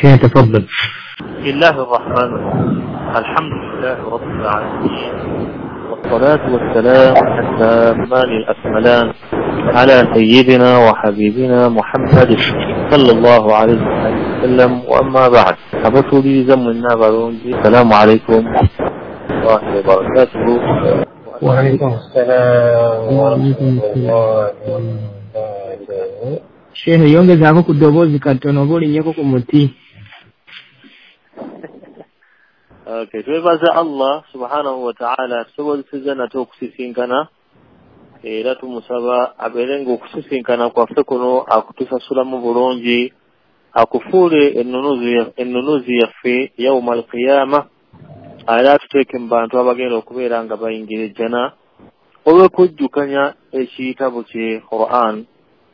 شيخ تفضل. بسم الله الرحمن الرحيم. الحمد لله رب العالمين، والصلاة والسلام التامان الأكملان على سيدنا وحبيبنا محمد صلى الله عليه وسلم. وأما بعد، أبطولي زمنا بارونجي. السلام عليكم ورحمة الله وبركاته. وعليكم السلام ورحمة الله وبركاته. Shehe, yongezaako ku ddoboozi katono oba olinnyeko ku muti. Okay, twebaza Allah subhanahu wa ta'ala tusobozesezza nate okusisinkana, era tumusaba abeere ng'okusisinkana kwaffe kuno akutusasulamu bulungi, akufuule ennunuzi yaffe yauma alqiyama, era atuteeke mu bantu abagenda okubeera nga bayingira ejjana olw'okujjukanya ekitabo kye Quran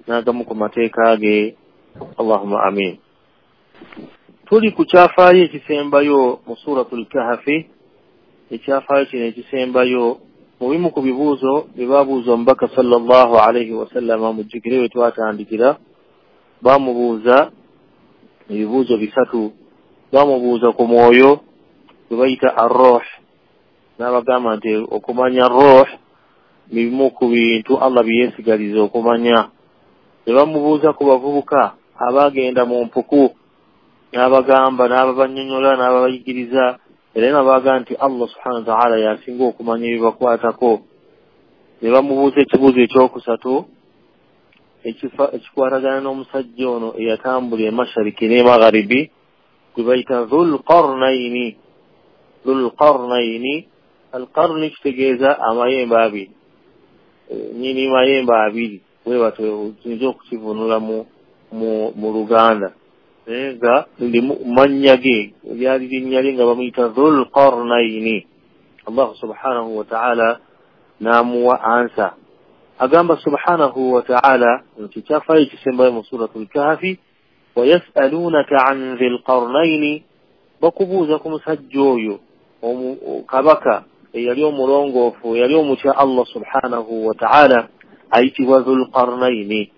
n'agamu ku mateeka ge. Allahumma amin. Tuli ku kyafaayo ekisembayo mu Suratul Kahafi. Ekyafaayo kino ekisembayo mu bimu ku bibuuzo bye baabuuza omubaka sallallahu alaihi wasallama, mujjukire we twatandikira, baamubuuza ebibuuzo bisatu. Baamubuuza ku mwoyo gwe bayita arroh, n'abagamba nti okumanya roh bimu ku bintu Allah bye yeesigaliza okumanya. Ne bamubuuza ku bavubuka abaagenda mu mpuku, n'abagamba, n'ababannyonnyola, n'ababayigiriza, era n'abaga nti Allah subhanahu wa ta'ala y'asinga okumanya ebibakwatako. Ne bamubuuza ekibuuzo ekyokusatu ekikwatagana n'omusajja ono eyatambula emashariki n'emagharibi gwe bayita Dhulqarnaini. Dhulqarnaini, alqarni kitegeeza amayembe abiri, nyini mayembe abiri, bwe batyo tuyinza okukivunula mu Luganda, nga ndi mannya ge lyali linnya lye nga bamuyita Dhulqarnaini. Allah subhanahu wa ta'ala n'amuwa ansa, agamba subhanahu wa ta'ala nti kyafaayo ekisembayo mu Suratul Kahafi, wayasalunaka an dhilqarnaini, bakubuuza ku musajja oyo kabaka eyali omulongoofu, eyali omutya Allah subhanahu wa ta'ala, ayitibwa Dhulqarnaini.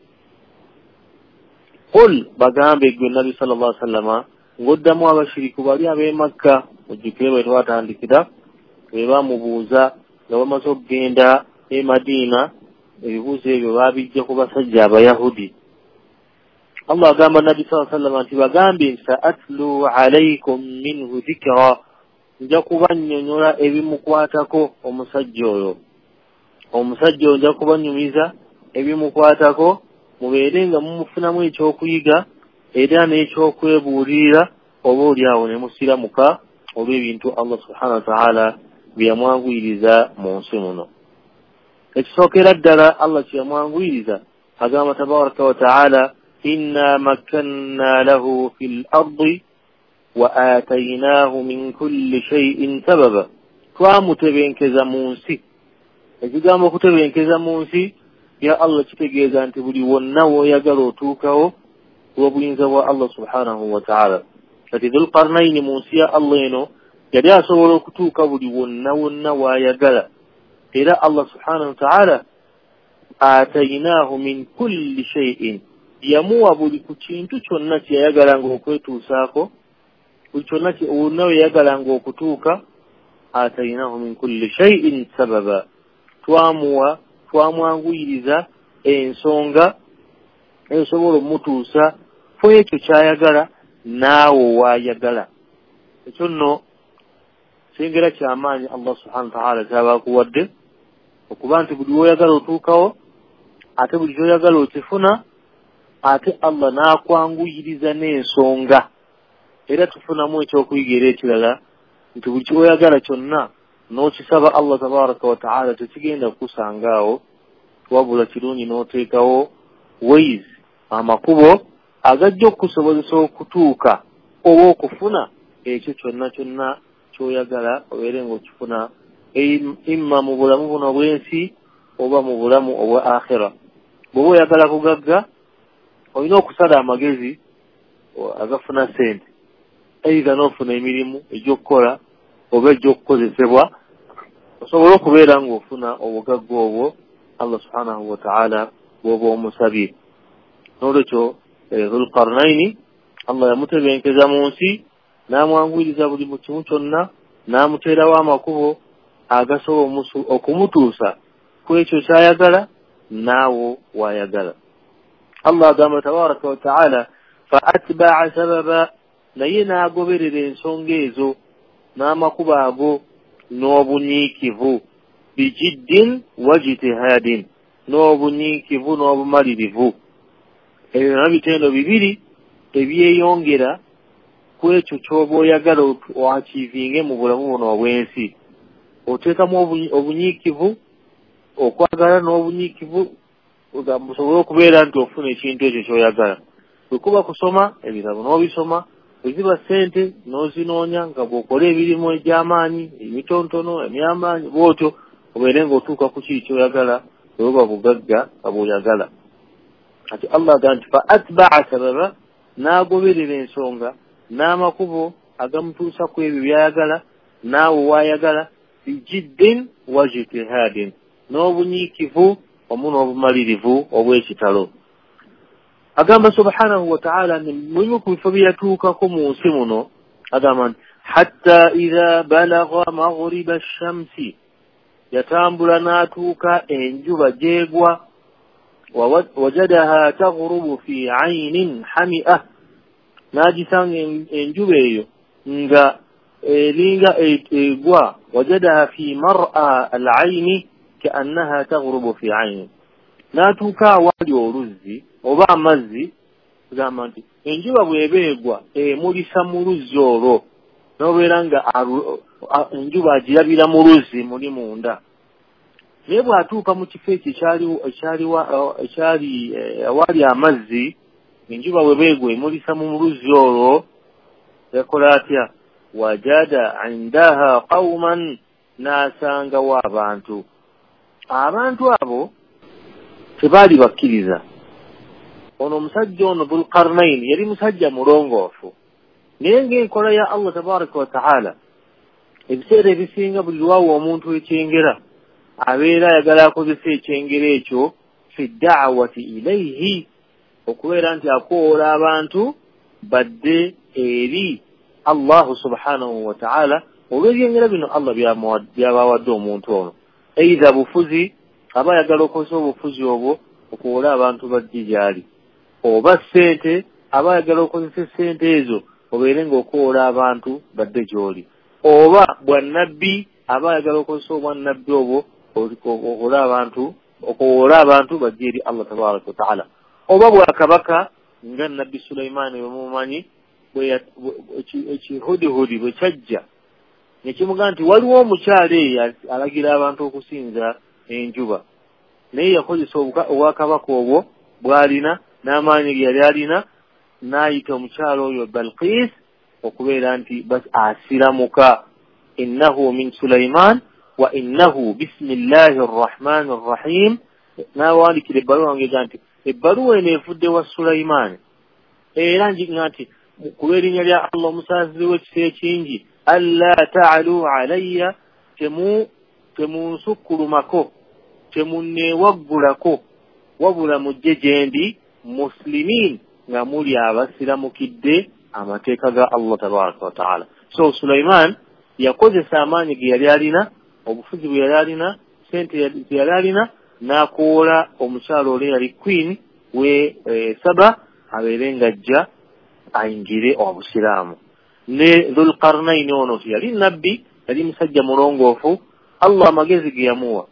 Qul, bagambe gwe Nabbi sallallahu alaihi wasallama ng'oddamu abashiriku bali ab'e Makka, mujjukire bwe twatandikira, bwe bamubuuza nga bamaze okugenda e Madiina, ebibuuzo ebyo baabijja ku basajja Abayahudi. Allah agamba Nabbi sallallahu alaihi wasallama nti bagambe nti sa'atlu alaykum minhu dhikra, nja kubannyonnyola ebimukwatako omusajja oyo. Omusajja oyo nja kubanyumiza ebimukwatako, mubeere nga mumufunamu ekyokuyiga era n'ekyokwebuulirira, oba oli awo ne musiramuka olw'ebintu Allah subhanahu wa ta'ala bye yamwanguyiriza mu nsi muno. Ekisookera ddala Allah kye yamwanguyiriza, agamba tabaraka wa ta'ala, inna makkanna lahu fil ardi wa atainahu min kulli shay'in sababa, twamutebenkeza mu nsi. Ekigambo okutebenkeza mu nsi ya Allah kitegeeza nti buli wonna w'oyagala otuukawo olw'obuyinza bwa Allah subhanahu wa ta'ala. Kati Dhulqarnaini mu nsi ya Allah eno yali asobola okutuuka buli wonna wonna w'ayagala, era Allah subhanahu wa ta'ala atainahu min kulli shay'in, yamuwa buli ku kintu kyonna kye yayagalanga okwetuusaako, buli kyonna wonna we yayagalanga okutuuka. Atainahu min kulli shay'in sababa, twamuwa, twamwanguyiriza ensonga esobola omutuusa ku ekyo ky'ayagala naawe waayagala. Ekyo nno kyengera kyamaanyi Allah subhanahu wa ta'ala ky'aba akuwadde, okuba nti buli w'oyagala otuukawo, ate buli ky'oyagala okifuna, ate Allah n'akwanguyiriza n'ensonga. Era tufunamu ekyokuyiga era ekirala nti buli ky'oyagala kyonna n'okisaba Allah tabaraka wa ta'ala tekigenda kukusanga awo, wabula kirungi n'oteekawo ways, amakubo agajja okukusobozesa okutuuka oba okufuna ekyo kyonna kyonna ky'oyagala, obeere ng'okifuna imma mu bulamu buno obw'ensi oba mu bulamu obwa akhira. Bw'oba oyagala kugagga, olina okusala amagezi agafuna ssente, either n'ofuna emirimu egy'okukola oba egy'okukozesebwa, osobola okubeera ng'ofuna obugagga obwo Allah subhanahu wa ta'ala bw'oba omusabye. N'olwekyo Dhulqarnaini Allah yamutebenkeza mu nsi n'amwanguyiriza buli mu kimu kyonna, n'amuteerawo amakubo agasobola okumutuusa ku ekyo ky'ayagala naawo w'ayagala. Allah agamba tabaraka wa taala fa atba'a sababa, naye n'agoberera ensonga ezo n'amakubo ago n'obunyiikivu, bijiddin wa jtihadin, n'obunyiikivu n'obumalirivu. Ebyo nabyo bitendo bibiri ebyeyongera ku ekyo ky'oba oyagala oachiivinge mu bulamu buno obw'ensi. Oteekamu obunyiikivu, okwagala n'obunyiikivu busobole okubeera nti ofuna ekintu ekyo ky'oyagala. Bwe kuba kusoma ebitabo n'obisoma, bwe ziba ssente n'ozinoonya nga bw'okola emirimu egy'amaanyi, emitontono, emy'amaanyi, bw'otyo obeere ng'otuuka ku kiri ky'oyagala, bwe buba bugagga nga bw'oyagala. Ati Allah agamba nti fa atba'a sababa, n'agoberera ensonga n'amakubo agamutuusa ku ebyo by'ayagala naawe w'ayagala, bijiddin wa jtihadin, n'obunyiikivu wamu n'obumalirivu obw'ekitalo. Agamba subhanahu wa ta'ala mulimu ku bifo bye yatuukako mu nsi muno, agamba nti hatta idha balagha maghriba shamsi, yatambula n'atuuka enjuba gy'egwa, wajadaha taghrubu fi aynin hami'a, n'agisanga enjuba eyo nga eringa egwa, wajadaha fi mar'a al-ayni ka'annaha taghrubu fi aynin, n'atuuka awali oluzzi oba amazzi, gamba nti enjuba bw'eba egwa emulisa mu luzzi olwo, n'obeera nga enjuba agirabira mu luzzi muli munda. Naye bw'atuuka mu kifo ekyo ekyali awali amazzi, enjuba bw'eba egwa emulisa mu luzzi olwo, yakola atya? Wajada indaha qauman, n'asangawo abantu. Abantu abo tebaali bakkiriza. Ono omusajja ono Dhulqarnain yali musajja mulongoofu, naye ng'enkola ya Allah tabaraka wa taala ebiseera ebisinga buli lwawa omuntu ekyengera abeera ayagala akozesa ekyengera ekyo fi da'wati ilayhi, okubeera nti akoola abantu badde eri Allahu subhanahu wa ta'ala olw'ebyengera bino Allah byabawadde omuntu ono. Eitha bufuzi, aba ayagala okozesa obufuzi obwo okuwola abantu bajje gy'ali, oba ssente, aba ayagala okozesa essente ezo obeere ng'okwola abantu badde gy'oli, oba bwannabbi, aba ayagala okozesa obwannabbi obwo okuwola abantu bajje eri Allah tabaraka wa taala, oba bwakabaka nga Nabbi Sulaimaani bwe mumanyi ekihudihudi bwe kyajja ne kimugamba nti waliwo omukyala eyo alagira abantu okusinza enjuba, naye yakozesa obwakabaka obwo bw'alina n'amaanyi ge yali alina, n'ayita omukyala oyo Balqis okubeera nti asiramuka, innahu min Sulaiman wa innahu bismillahi rrahmani rrahim. N'awandikira ebbaluwa ng'egamba nti ebbaluwa eno evudde wa Sulaimaani, era njiga nti ku lw'erinnya lya Allah omusaasizi w'ekisa ekingi, alla ta'alu alayya, temunsukkulumako, temunneewaggulako, wabula mujje gye ndi muslimin, nga muli abasiramukidde amateeka ga Allah tabaraka wa taala. So Sulaiman yakozesa amaanyi ge yali alina, obufuzi bwe yali alina, ssente ze yali alina, n'akoola omukyala oli yali queen we Saba abeere ng'ajja ayingire obusiraamu. Ne Dhulqarnaini ono yali nabbi, yali musajja mulongoofu, Allah amagezi ge yamuwa,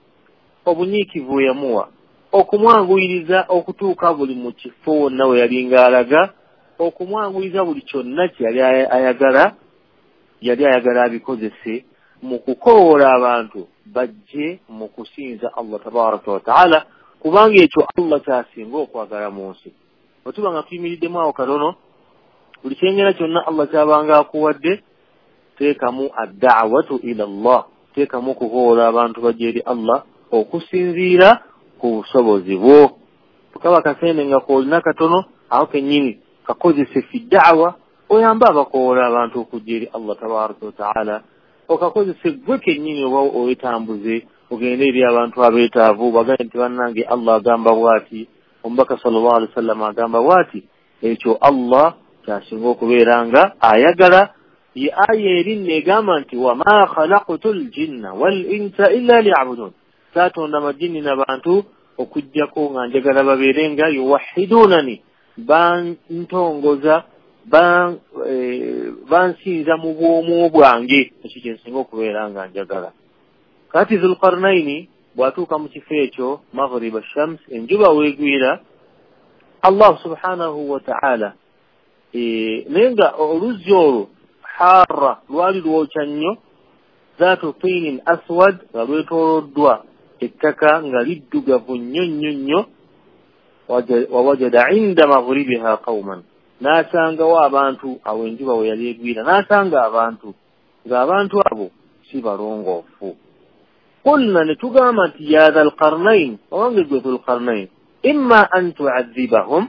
obunyiikivu bwe yamuwa, okumwanguyiriza okutuuka buli mu kifo wonna we yalinga alaga, okumwanguyiriza buli kyonna kye yali ayagala, yali ayagala abikozese mu kukowoola abantu bajje mu kusinza Allah tabaraka wa taala, kubanga ekyo Allah ky'asinga okwagala mu nsi. Bwe tuba nga tuyimiriddemu awo katono, buli kyengera kyonna Allah ky'abanga akuwadde, teekamu adda'watu ila Allah, teekamu okukowoola abantu bajje eri Allah okusinziira ku busobozi bwo. Kaba kasente nga k'olina katono, awo kennyini kakozese fi da'wa, oyambe abakowoola abantu okujja eri Allah tabaraka wa taala, okakozese gwe kennyini oba owetambuze ogende eri abantu abeetaavu, bagambe nti bannange Allah agamba bw'ati, omubaka sallallahu alaihi wasallam agamba bw'ati. Ekyo Allah Kyasinga okubeera nga ayagala. Ye aya eri negamba nti wama khalaqtu ljinna wal insa illa liyabudun, saatonda majinni n'abantu okuggyako nga njagala babeere nga yuwahidunani, bantongoza, bansinza mu bwomu bwange. Ekyo kyensinga okubeera nga njagala. Kati Zulqarnaini bw'atuuka mu kifo ekyo maghriba shams, enjuba weegwira, Allah subhanahu wa ta'ala naye nga oluzzi olwo harra lwali lwokya nnyo, zaatu tinin aswad, nga lwetooloddwa ettaka nga liddugavu nnyo nnyo nnyo. Wawajada inda maghribiha qauman, n'asangawo abantu awo enjuba we yali egwira, n'asanga abantu ng'abantu abo si balongoofu. Qulna, ne tugamba nti ya dha lqarnain, owange gwe Dhulqarnain, imma an tuadhibahum,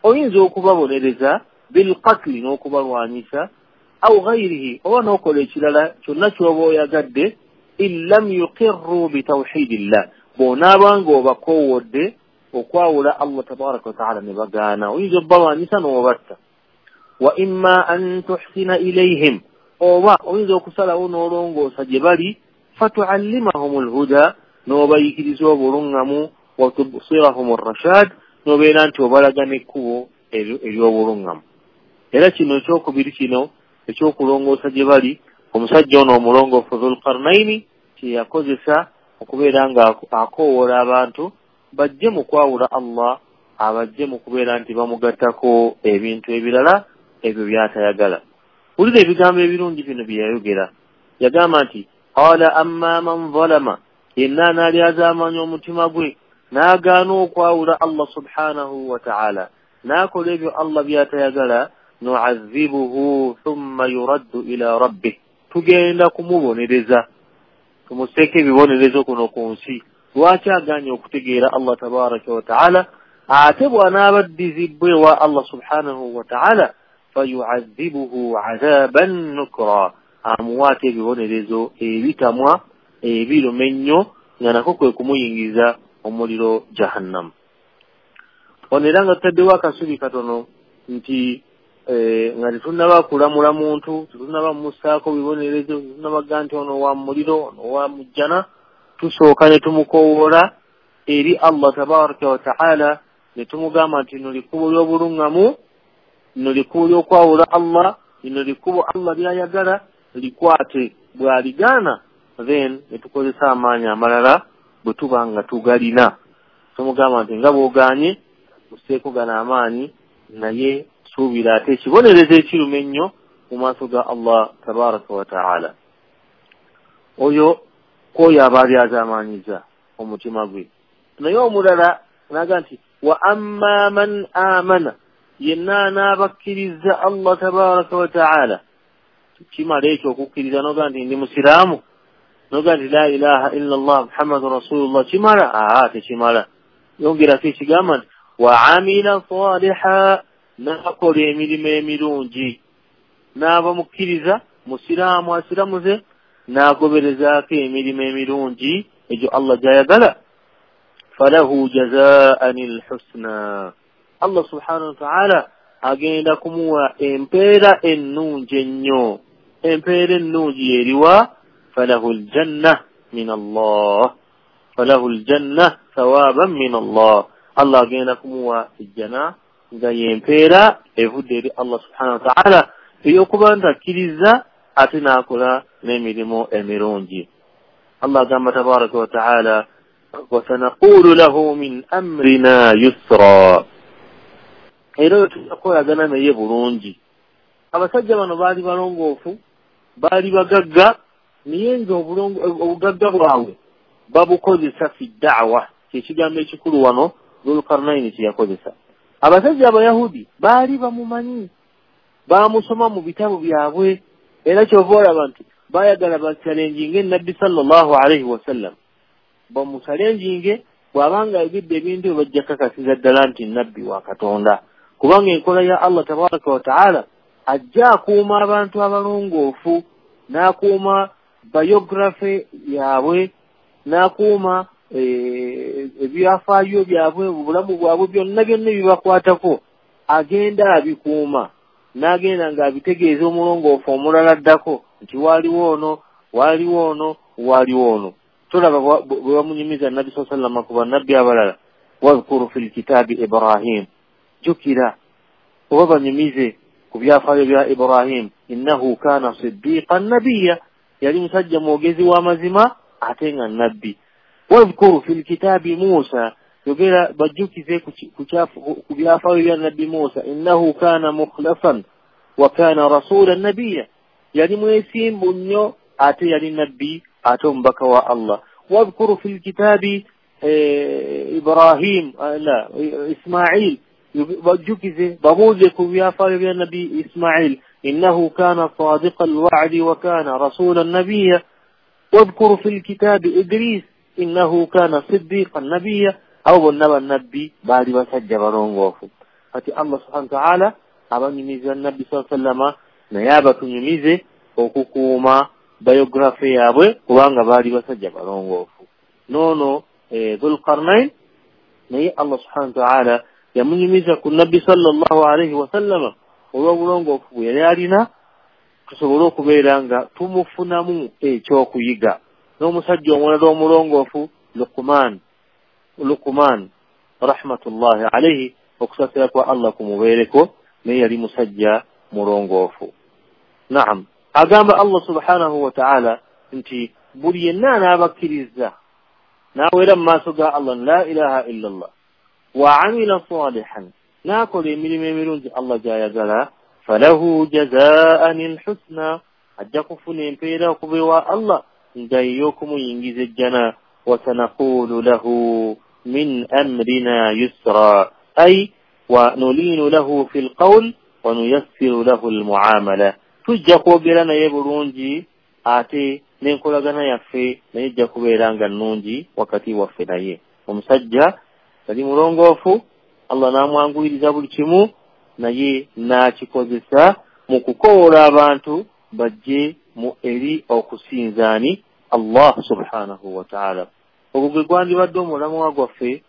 oyinza okubabonereza bilqatli, n'okubalwanyisa, au ghairihi, oba n'okola ekirala kyonna ky'oba oyagadde, in lam yuqirru bitawhidillah, bw'onaaba nga obakoowodde okwawula Allah tabaraka wataala ne bagaana, oyinza obbalwanyisa n'obatta. Wa imma an tuhsina ilayhim, oba oyinza okusalawo n'olongoosa gye bali, fatuallimahum lhuda, n'obayigiriza obuluŋŋamu, watubsirahum rashad, n'obeera nti obalaga n'ekkubo ery'obuluŋŋamu. Era kino ekyokubiri kino ekyokulongoosa gye bali, omusajja ono omulongoofu Dhulqarnaini kyeyakozesa okubeera nga akoowoola abantu bajje mu kwawula Allah, abajje mu kubeera nti bamugattako ebintu ebirala ebyo by'atayagala. Wulira ebigambo ebirungi bino bye yayogera. Yagamba nti qala amma man zalama, yenna anaalyazaamanya omutima gwe n'agaana okwawula Allah subhanahu wa ta'ala, n'akola ebyo Allah by'atayagala, nu'adhibuhu thumma yuraddu ila rabbih, tugenda kumubonereza, tumuseeko ebibonerezo kuno ku nsi. Lwaki aganye okutegeera Allah tabaraka wa ta'ala? Ate bw'anaaba addizibwa ewa Allah subhanahu wa ta'ala, fayu'adhibuhu adhaban nukra, amuwaate ebibonerezo ebitamwa ebiruma ennyo, nga nako kwe kumuyingiza omuliro jahannam. Ono era nga tutaddewo akasubi katono nti nga tetunnaba kulamula muntu, tetunnaba mumussaako bibonerezo, tetunnabaga nti ono wa muliro, ono wa mujjana, tusooka ne tumukoowoola eri Allah tabaraka wa ta'ala, ne tumugamba nti lino likkubo ly'obuluŋŋamu, lino likkubo ly'okwawula Allah, lino likkubo Allah ly'ayagala, likwate. Bw'aligaana, then ne tukozesa amaanyi amalala bwe tuba nga tugalina. Tumugamba nti nga bw'ogaanye, musseeko gano amaanyi, naye suubira ate ekibonerezo ekiruma ennyo mu maaso ga Allah tabaraka wa ta'ala. Oyo kwoyo aba alyazaamaanyiza omutima gwe. Naye omulala naga nti wa amma man amana, yenna anaabakkiriza Allah tabaraka wa ta'ala. Kimala ekyo okukkiriza noga nti ndi musiraamu, noga nti la ilaha illa Allah Muhammadun rasulullah, kimala? Aa, tekimala. Yongerako ekigamba nti wa amila saliha, n'akola emirimu emirungi, n'aba mukkiriza musiraamu asiramuze, n'agoberezaako emirimu emirungi egyo Allah gy'ayagala, falahu jazaan lhusna, Allah subhanahu wa ta'ala agenda kumuwa empeera ennungi ennyo. Empeera ennungi eriwa? Falahu ljanna min Allah, falahu ljanna thawaban min Allah, Allah agenda kumuwa ejjana nga yempeera evudde eri Allah subhanahu wa ta'ala ey'okuba nti akkiriza ate n'akola n'emirimu emirungi. Allah agamba tabaraka wa ta'ala wasanaqulu lahu min amrina yusra, era oyo tujja kukolagana naye bulungi. Abasajja bano baali balongoofu, baali bagagga, naye nga obugagga bwabwe babukozesa fi da'wa, kyekigambo ekikulu wano Dhulqarnaini kye yakozesa. Abasajja Abayahudi baali bamumanyi, bamusoma mu bitabo byabwe, era kyova olaba nti baayagala bachalenjinge Nabbi sallallahu alaihi wasallam, bamuchalenjinge bw'abanga ayogedde ebintu bajja kakasiza ddala nti nabbi wa Katonda, kubanga enkola ya Allah tabaraka wa taala ajja akuuma abantu abalongoofu, n'akuuma biography yaabwe, n'akuuma ebyafaayo byabwe, obulamu bwabwe byonna byonna ebibakwatako agenda abikuuma. N'agenda ng'abitegeeza omulongoofu omulala addako nti waaliwo ono, waaliwo ono, waaliwo ono. Tolaba bwe bamunyumiza Nabbi saa sallama ku bannabbi abalala, wadhkuru fi lkitaabi Ibrahim, jjukira oba banyumize ku byafaayo bya Ibrahim, innahu kaana siddiqan nabiyya, yali musajja mwogezi w'amazima ate nga nabbi. Wadhkuru fi lkitaabi Musa, yogera bajjukize ku byafaayo bya Nabbi Musa, innahu kaana mukhlasan wa kaana rasulan nabiyya, yali mwesimbu nnyo ate yali nabbi ate omubaka wa Allah. Wadhkuru fi lkitaabi Ibrahim, la Ismail, bajjukize babuuze ku byafaayo bya Nabbi Ismail, innahu kaana sadiqa alwa'di wa kaana rasulan nabiyya. Wadhkuru fi lkitaabi Idris, innahu kaana siddiqan nabiyya. Abo bonna bannabbi baali basajja balongoofu. Kati Allah subhanahu wa ta'ala abanyumiza Nabbi saa sallama, naye abatunyumize okukuuma biography yaabwe kubanga baali basajja balongoofu. Noono Dhulqarnain naye Allah subhanahu wa ta'ala yamunyumiza ku Nabbi sallallahu alaihi wasallama olw'obulongoofu bwe yali alina, tusobole okubeera nga tumufunamu ekyokuyiga. N'omusajja omulala omulongoofu Luqman rahmatullahi alaihi, okusaasira kwa Allah kumubeereko, naye yali musajja mulongoofu. Naam, agamba Allah subhanahu wa ta'ala nti buli yenna anaabakkiriza n'aweera mu maaso ga Allah la ilaha illa Allah wa amila salihan, n'akola emirimu emirungi Allah gy'ayagala, falahu jazaan alhusna, ajja kufuna empeera okuva ewa Allah nga ey'okumuyingiza ejjana. Wasanaqulu lahu min amrina yusra, ay wa nulinu lahu fi lqawl wa nuyassiru lahu almuamala, tujja kwogera naye bulungi ate n'enkolagana yaffe naye ejja kubeera nga nnungi wakati waffe naye. Omusajja yali mulongoofu, Allah n'amwanguyiriza buli kimu, naye n'akikozesa mu kukowoola abantu bajje mu eri okusinzaani Allah subhanahu wa ta'ala. Ogwo gwe gwandibadde omulamwa gwaffe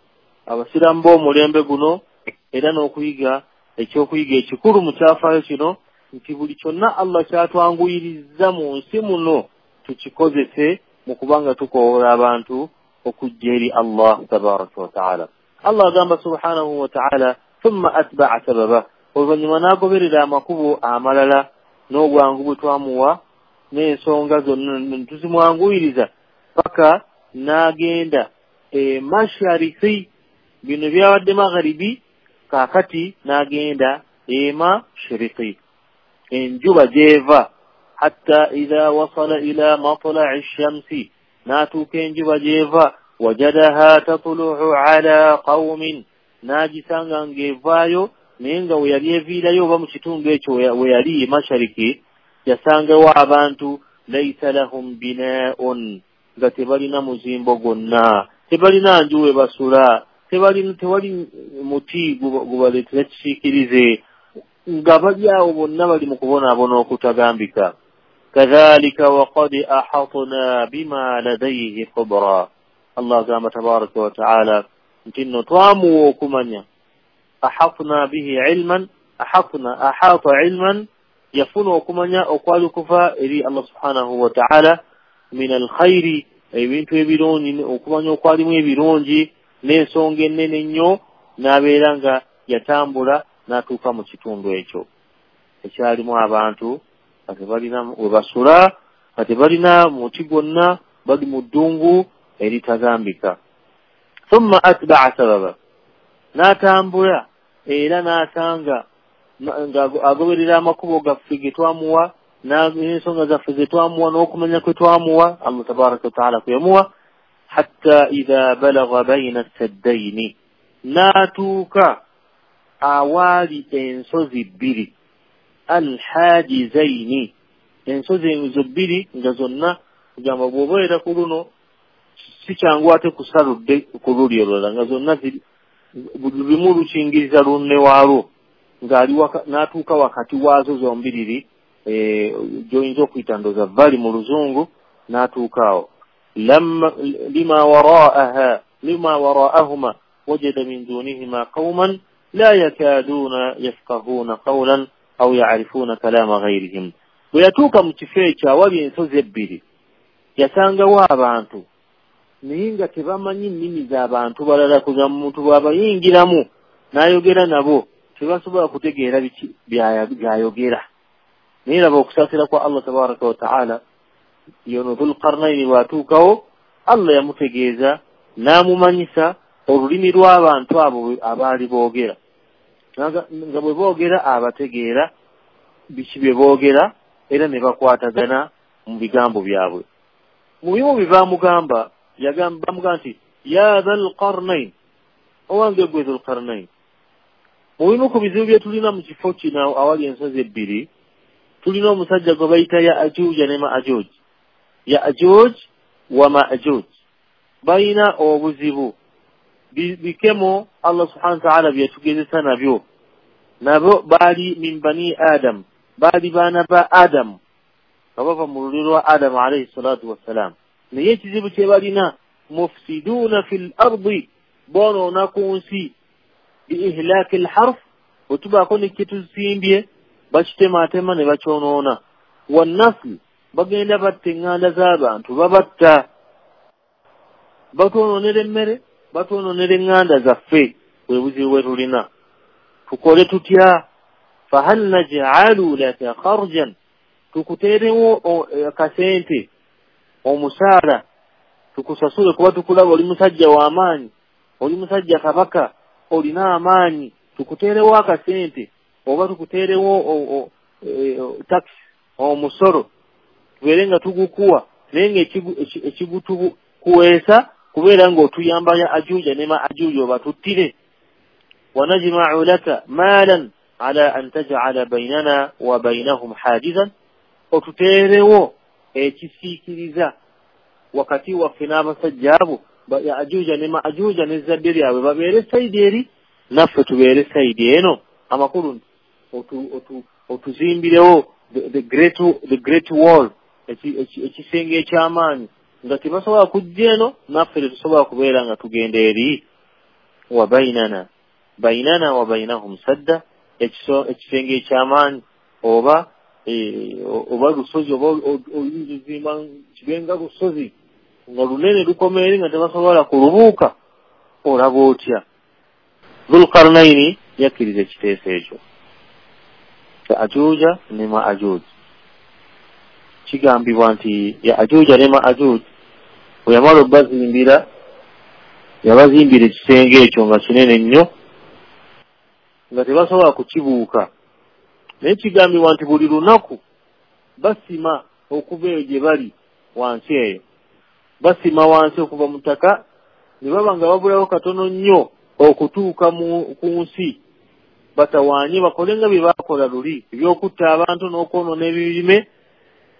abasiraamu b'omulembe guno, era n'okuyiga ekyokuyiga ekikulu mu kyafaayo kino nti buli kyonna Allah kyatwanguyiriza mu nsi muno tukikozese mu kubanga tukowoola abantu okujja eri Allah tabaraka wa ta'ala. Allah agamba subhanahu wa ta'ala thumma atba'a sababa, oluvannyuma n'agoberera amakubo amalala n'obwangu bwe twamuwa n'ensonga zonna tuzimwanguyiriza paka n'agenda mashariki, bino byabadde magharibi, kaakati n'agenda emashiriki, enjuba gy'eva, hatta idha wasala ila matla'i shamsi, n'atuuka enjuba gy'eva, wajadaha tatlu'u ala qawmin, n'agisanga ng'evaayo, naye nga we yali eviirayo oba mu kitundu ekyo we yali mashariki, yasangawo abantu laisa lahum binaun, nga tebalina muzimbo gwonna, tebalina nju we basula, tewali muti gubaleetera kisiikirize, nga bali awo bonna bali mu kubonaabona okutagambika. Kadhalika waqad ahatna bima ladayhi khubra, Allah agamba tabaraka wa taala nti nno twamuwa okumanya, ahatna bihi ilman, ahatna ahata ilman, yafuna okumanya okwali okuva eri Allah subhanahu wa ta'ala, min alkhairi, ebintu ebirungi, okumanya okwalimu ebirungi n'ensonga ennene ennyo, n'abeera nga yatambula n'atuuka mu kitundu ekyo ekyalimu abantu nga tebalina we basula, nga tebalina muti gwonna, bali mu ddungu eritagambika. Thumma atba'a sababa, n'atambula era n'asanga nga agoberera amakubo gaffe ge twamuwa n'ensonga zaffe ze twamuwa n'okumanya kwe twamuwa Allah tabaraka wa taala kwe yamuwa, hatta idha balagha bayna saddaini, n'atuuka awaali ensozi bbiri, alhajizaini, ensozi ezo bbiri nga zonna kugamba bw'obeera ku luno si kyangu ate kusaludde ku luli olulala, nga zonna buli lumu lukingiriza lunne waalwo, ng'ali n'atuuka wakati waazo zombiriri, gy'oyinza okuyita ndowooza vali mu luzungu, n'atuuka awo. Lima waraahuma wajada min dunihima qawman la yakaduuna yafqahuuna qawlan. Au ya'rifuna kalama ghayrihim. Bwe yatuuka mu kifo ekyo awali ensozi ebbiri, yasangawo abantu naye nga tebamanyi nnimi z'abantu balala. Kuga muntu bw'abayingiramu n'ayogera nabo tebasobola kutegeera biki byayogera. Naye laba okusaasira kwa Allah tabaraka wa taala, yono Dhulqarnaini bw'atuukawo Allah yamutegeeza n'amumanyisa olulimi lw'abantu abo abaali boogera, nga bwe boogera abategeera biki bye boogera era ne bakwatagana mu bigambo byabwe. Mu bimu bye bamugamba, bamugamba nti ya Dhulqarnain, owange gwe Dhulqarnain, mu bimu ku bizibu bye tulina mu kifo kino awali ensozi ebbiri, tulina omusajja gwe bayita Ya'juuja ne Ma'juuj. Ya'juuj wa Ma'juuj balina obuzibu bikemo Allah subhanahu wa ta'ala byatugezesa nabyo. Nabo baali min bani Adam, baali baana ba Adamu, nga bava mu lulyo lwa Adamu alayhi salatu wassalam. Naye ekizibu kye balina, mufsiduuna fil ardi, boonoona ku nsi, bi ihlaaki lharf, bwe tubaako ne kye tusimbye bakitemaatema ne bakyonoona. Wannasli, bagenda batta eŋŋanda z'abantu, babatta, batwonoonera emmere, batwonoonera eŋŋanda zaffe. Bwe buzibu bwe tulina, tukole tutya? Fahal naj'alu laka kharjan, tukuteerewo akasente, omusaala, tukusasule kuba tukulaba oli musajja w'amaanyi, oli musajja kabaka, olina amaanyi, tukuteerewo akasente oba tukuteerewo tax, omusolo, tubeere nga tugukuwa, naye nga ekigutukuweesa kubeera ng'otuyamba Ya'juuja ne Ma'juuja obatuttire. Wanajma'u laka maalan ala an taj'ala baynana wa baynahum hajizan, otuteerewo ekisiikiriza wakati waffe n'abasajja abo Ya'juuja ne Ma'juuja n'ezzadde lyabwe babeere sayidi eri, naffe tubeere sayidi eno. Amakulu nti otuzimbirewo the great wall, ekisenge eky'amaanyi nga tebasobola kujja eno, naffe tetusobola kubeera nga tugenda eri. Wa bainana bainana wa bainahum sadda, ekisenge eky'amaanyi oba lusozi, oba oyinza ozimba kibenga lusozi nga lunene lukoma eri nga tebasobola kulubuuka, olaba otya? Dhulqarnaini yakkiriza ekiteeso ekyo. Ya'juuja ne Ma'juuj, kigambibwa nti Ya'juuja ne Ma'juuj bwe yamala obbazimbira, yabazimbira ekisenge ekyo nga kinene nnyo nga tebasobola kukibuuka. Naye kigambibwa nti buli lunaku basima okuva eyo gye bali wansi eyo, basima wansi okuva mu ttaka, ne baba nga babulawo katono nnyo okutuuka ku nsi, batawaanye bakole nga bye baakola luli ebyokutta abantu n'okwonoona ebirime.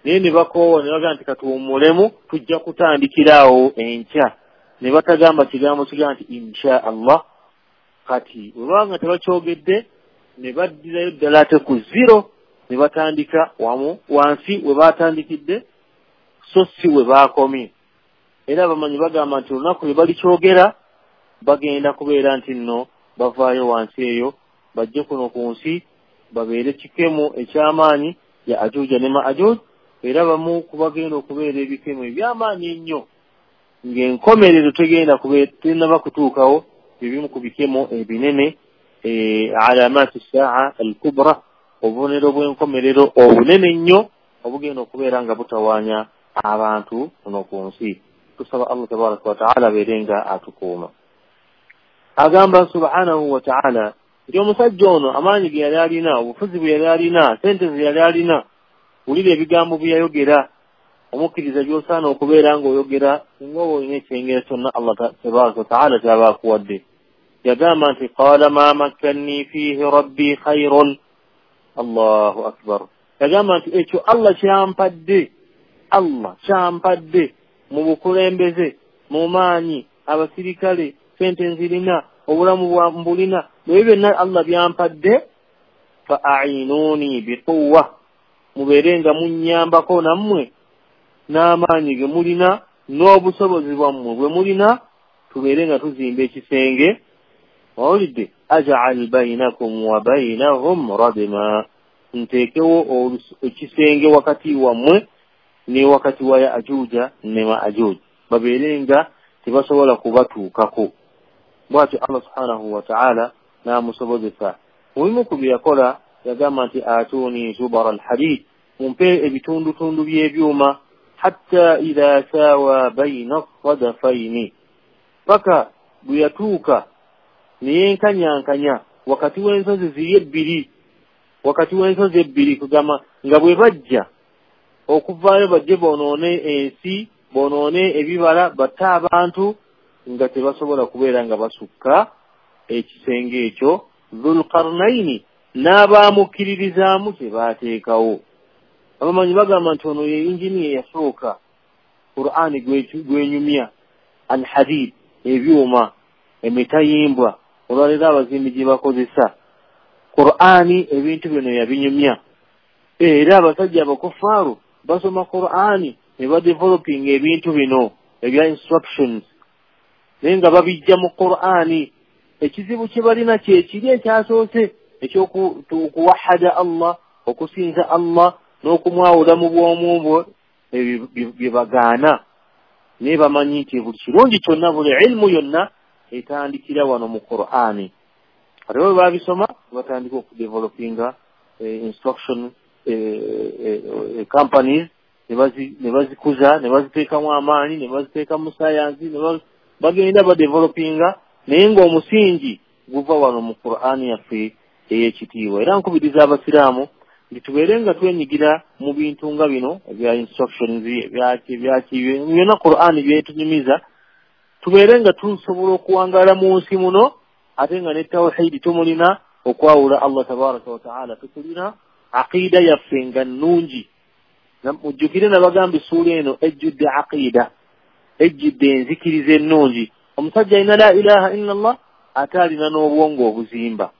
Naye ne bakoowa ne bagamba nti katuwummulemu, tujja kutandikira awo enkya. Ne batagamba kigambo kigamba nti insha Allah. Kati bwe baba nga tebakyogedde, ne baddirayo ddala ate ku zero, ne batandika wamu wansi we baatandikidde, so si we baakomye. Era abamanyi bagamba nti olunaku lwe balikyogera bagenda kubeera nti nno bavaayo wansi eyo bajje kuno ku nsi babeere kikemo eky'amaanyi Ya'juuja ne Ma'juuj. Era bamu ku bagenda okubeera ebikemo eby'amaanyi ennyo ng'enkomerero tegenda tennaba kutuukawo, ebimu ku bikemo ebinene, alamaati saa al-kubra, obubonero bw'enkomerero obunene ennyo obugenda okubeera nga butawaanya abantu kuno ku nsi. Tusaba Allah tabaraka wa taala abeere nga atukuuma. Agamba subhanahu wa taala nti omusajja ono amaanyi ge yali alina, obufuzi bwe yali alina, sente ze yali alina, wulira ebigambo bye yayogera. Omukkiriza by'osaana okubeera ng'oyogera singa oba olina ekyengera kyonna Allah tabaraka wa taala ky'aba akuwadde. Yagamba nti qaala ma makkanni fiihi rabbi khayrun. Allahu akbar. Yagamba nti ekyo Allah kyampadde, Allah kyampadde mu bukulembeze, mu maanyi, abasirikale, sente nzirina, obulamu mbulina, ebyo byonna Allah byampadde. Fa a'inuni biquwwa, mubeere nga munnyambako nammwe n'amaanyi ge mulina n'obusobozi bwammwe bwe mulina, tubeere nga tuzimba ekisenge. Owulidde, aj'al bainakum wa bainahum radma, Nteekewo ekisenge wakati wammwe ne wakati wa Yaajuuja ne Maajuuj, babeere nga tebasobola kubatuukako. Bw'atyo Allah subhanahu wa ta'ala n'amusobozesa. Mu bimu ku bye yakola yagamba nti atuuni zubara alhadid, mumpe ebitundutundu by'ebyuma, hatta idha sawa baina sadafaini, paka bwe yatuuka ne yenkanyankanya wakati w'ensozi ziri ebbiri, wakati w'ensozi ebbiri, kugamba nga bwe bajja okuvaayo bajje bonoone ensi, bonoone ebibala, batte abantu, nga tebasobola kubeera nga basukka ekisenge ekyo Dhulqarnaini n'abaamukkiririzaamu kye baateekawo. Abamanyi bagamba nti ono ye inginiya eyasooka Qur'ani gwenyumya alhadid, ebyuma, emitayimbwa, olwaleero abazimbi gye bakozesa. Qur'ani ebintu bino yabinyumya. Era abasajja abakufaaru basoma Qur'ani ne badevelopinga ebintu bino ebya instructions, naye nga babijja mu Qur'ani. Ekizibu kye balina kye kiri ekyasoose eky'okuwahada Allah, okusinza Allah n'okumwawula mu bwomu bwe, bye bagaana. Naye bamanyi nti buli kirungi kyonna, buli ilmu yonna etandikira wano mu Qur'ani. Ate bwe babisoma batandika okudevelopinga instruction companies, ne bazikuza, ne baziteekamu amaanyi, ne baziteeka mu sayansi, bagenda badevelopinga, naye ng'omusingi guva wano mu Qur'ani yaffe ey'ekitiibwa. Era nkubiriza abasiraamu nti tubeere nga twenyigira mu bintu nga bino ebya instructions, ebyaki byonna Qur'ani byetunyumiza, tubeere nga tusobola okuwangaala mu nsi muno, ate nga ne tawhidi tumulina, okwawula Allah tabaraka wa taala tukulina, aqida yaffe nga nnungi. Mujjukire nabagamba essuula eno ejjudde aqida, ejjudde enzikiriza ennungi. Omusajja alina la ilaha illa Allah ate alina n'obwongo obuzimba,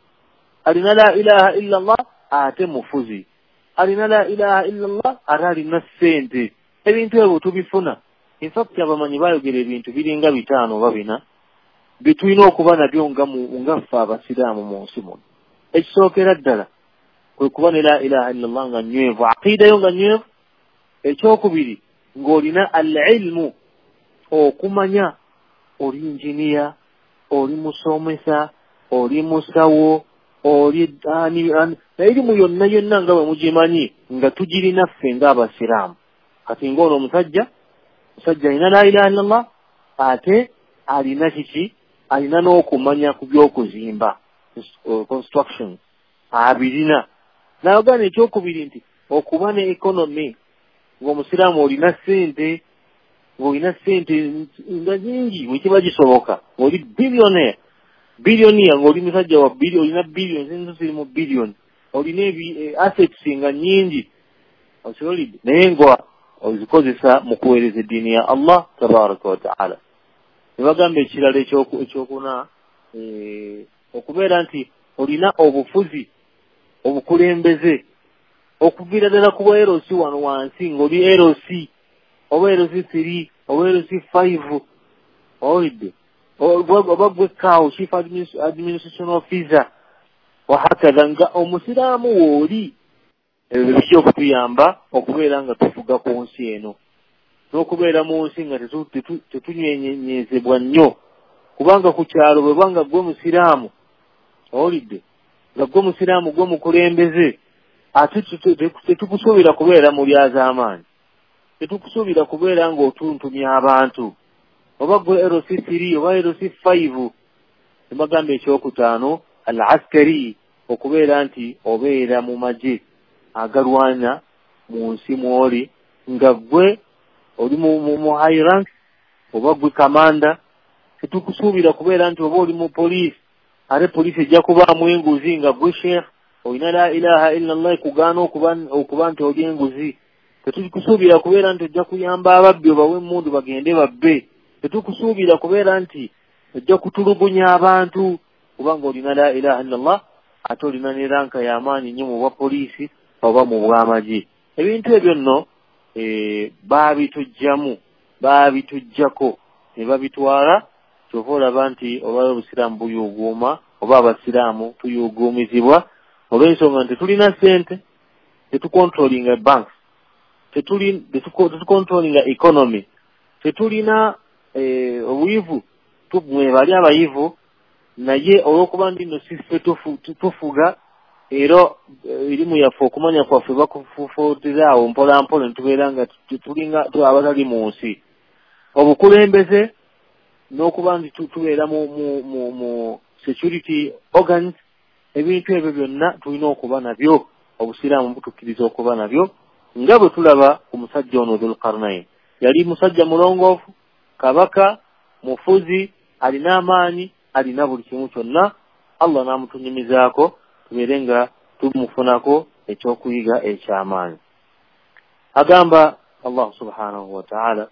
alina la ilaha illa Allah ate mufuzi, alina la ilaha illa Allah ate alina ssente. Ebintu ebyo tubifuna. In fact abamanyi bayogera ebintu biringa 5 oba 4 bye tulina okuba nabyo nga ffe abasiraamu mu nsi muno. Ekisookera ddala kwe kuba ne la ilaha illa Allah nga nnywevu, aqida yo nga nnywevu. Ekyokubiri ng'olina al-ilmu, okumanya, oli injiniya, oli musomesa, oli musawo, oli ani, erimu yonna yonna nga bwe mugimanyi nga tugirina ffe ng'abasiraamu. Kati ng'ono omusajja alina la ilaha illallah ate alina kiki? Alina n'okumanya ku by'okuzimba, construction, abirina. Nayogana ekyokubiri nti okuba ne economy, ng'omusiraamu olina ssente, ng'olina ssente nga nyingi bwe kiba kisoboka, ng'oli billionaire, billionaire, ng'oli musajja wa billion, olina billions, enzo ziri mu billion, olina assets nga nyingi, okiwulidde, naye nga ozikozesa mu kuweereza eddiini ya Allah tabaraka wa taala. Ne bagamba ekirala ekyokuna, okubeera nti olina obufuzi, obukulembeze, okuviira ddala ku bwa LC wano wansi, ng'oli LC oba LC3 oba LC5, owulidde, oba gwe CAO, Chief Administration Officer, wahakadha, nga omusiraamu w'oli. Ebyo bijja okutuyamba okubeera nga tufuga ku nsi eno, n'okubeera mu nsi nga tetunyeenyezebwa nnyo, kubanga ku kyalo bwe banga gwe musiraamu, owulidde, nga gwe musiraamu gwe mukulembeze, ate tetukusuubira kubeera mu lyazaamaanyi, tetukusuubira kubeera ng'otuntumya abantu, oba gwe LC3 oba LC5. Ne bagamba ekyokutaano al-askari, okubeera nti obeera mu magye agalwana mu nsi mw'oli, nga gwe oli mu high rank oba gwe kamanda. Tetukusuubira kubeera nti oba oli mu poliisi, ate poliisi ejja kubaamu enguzi, nga gwe sheikh olina la ilaha illa Allah ekugaana okuba nti oli enguzi. Tetukusuubira kubeera nti ojja kuyamba ababbi obawe emmundu bagende babbe. Tetukusuubira kubeera nti ojja kutulugunya abantu, kubanga olina la ilaha illa Allah ate olina ne ranka y'amaanyi nnyo mu bwa poliisi oba mu bw'amagye. Ebintu ebyo nno baabitujjamu, baabitujjako ne babitwala. Kyova olaba nti olwaleero obusiraamu buyuuguuma, oba abasiraamu tuyuuguumizibwa olw'ensonga nti tulina ssente, Tetucontrollinga banks, tetucontrollinga economy, tetulina obuyivu, bali abayivu, naye olw'okuba nti nno siffe tufuga, era erimu yaffe okumanya kwaffe bakufufuutira awo mpola mpola ne tubeera nga tulinga abatali mu nsi. Obukulembeze n'okuba nti tubeera mu security organs, ebintu ebyo byonna tulina okuba nabyo, obusiraamu butukkiriza okuba nabyo, nga bwe tulaba ku musajja ono Dhul-Qarnayn. Yali musajja mulongoofu, kabaka, mufuzi, alina amaanyi, alina buli kimu kyonna. Allah n'amutunyumizaako tubeere nga tumufunako ekyokuyiga ekyamaanyi. Agamba Allah subhanahu wa ta'ala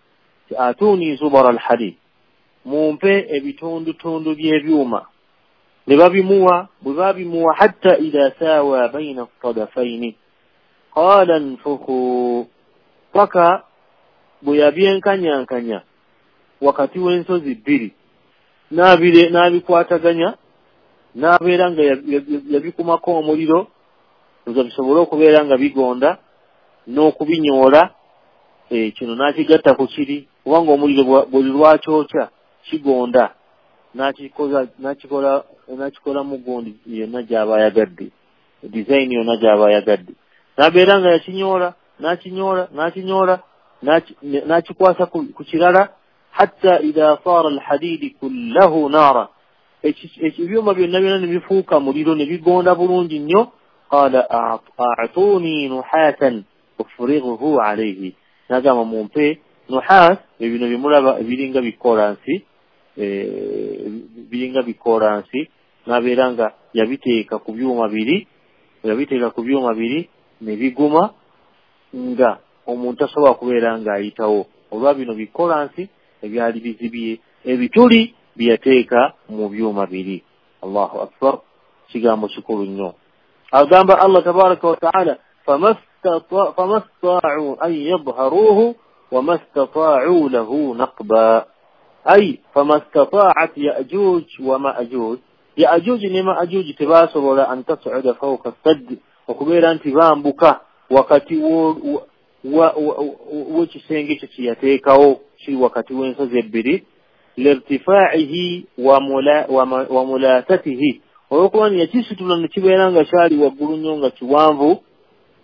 ti atuuni zubara alhadid, mumpe ebitundutundu by'ebyuma. Ne babimuwa, bwe babimuwa hatta idha sawa baina sadafaini qala nfukhu, paka bwe yabyenkanyankanya wakati w'ensozi bbiri, n'abikwataganya, n'abeera nga yabikumako omuliro nga bisobole okubeera nga bigonda n'okubinyoola. Kino n'akigatta ku kiri, kubanga omuliro buli lwakyokya kigonda, n'akikola mu gundi yonna gy'aba ayagadde, design yonna gy'aba ayagadde. N'abeera nga yakinyoola, n'akinyoola, n'akinyoola, n'akikwasa ku kirala, hatta idha sara alhadidi kullahu nara, ebyuma byonna byonna ne bifuuka muliro ne bigonda bulungi nnyo. Qala a'tuni nuhatan ufrighuhu alayhi, n'agamba mumpe nuhas, ebino bimulaba ebiringa bikolansi, biringa bikolansi, n'abeera nga yabiteeka ku byuma biri, yabiteeka ku byuma biri ne biguma nga omuntu asobola kubeera ng'ayitawo, olwa bino bikolansi ebyali bizibye ebituli byeyateeka mu byuma biri. Allahu akbar, kigambo kikulu nnyo. Agamba Allah tabaraka wa taala famastata'u an yadhharuhu wamastata'u lahu naqba, ay famastata'at ya'juj wa ma'juj, ya'juj ne ma'juj tebasobola an tas'uda fawqa sadd, okubeera nti bambuka wakati w'ekisenge ekyo kye yateekawo kiri wakati w'ensozi ebbiri, lirtifaa'ihi wa mulaatatihi, olw'okuba nti yakisitula ne kibeera nga kyali waggulu nnyo nga kiwanvu,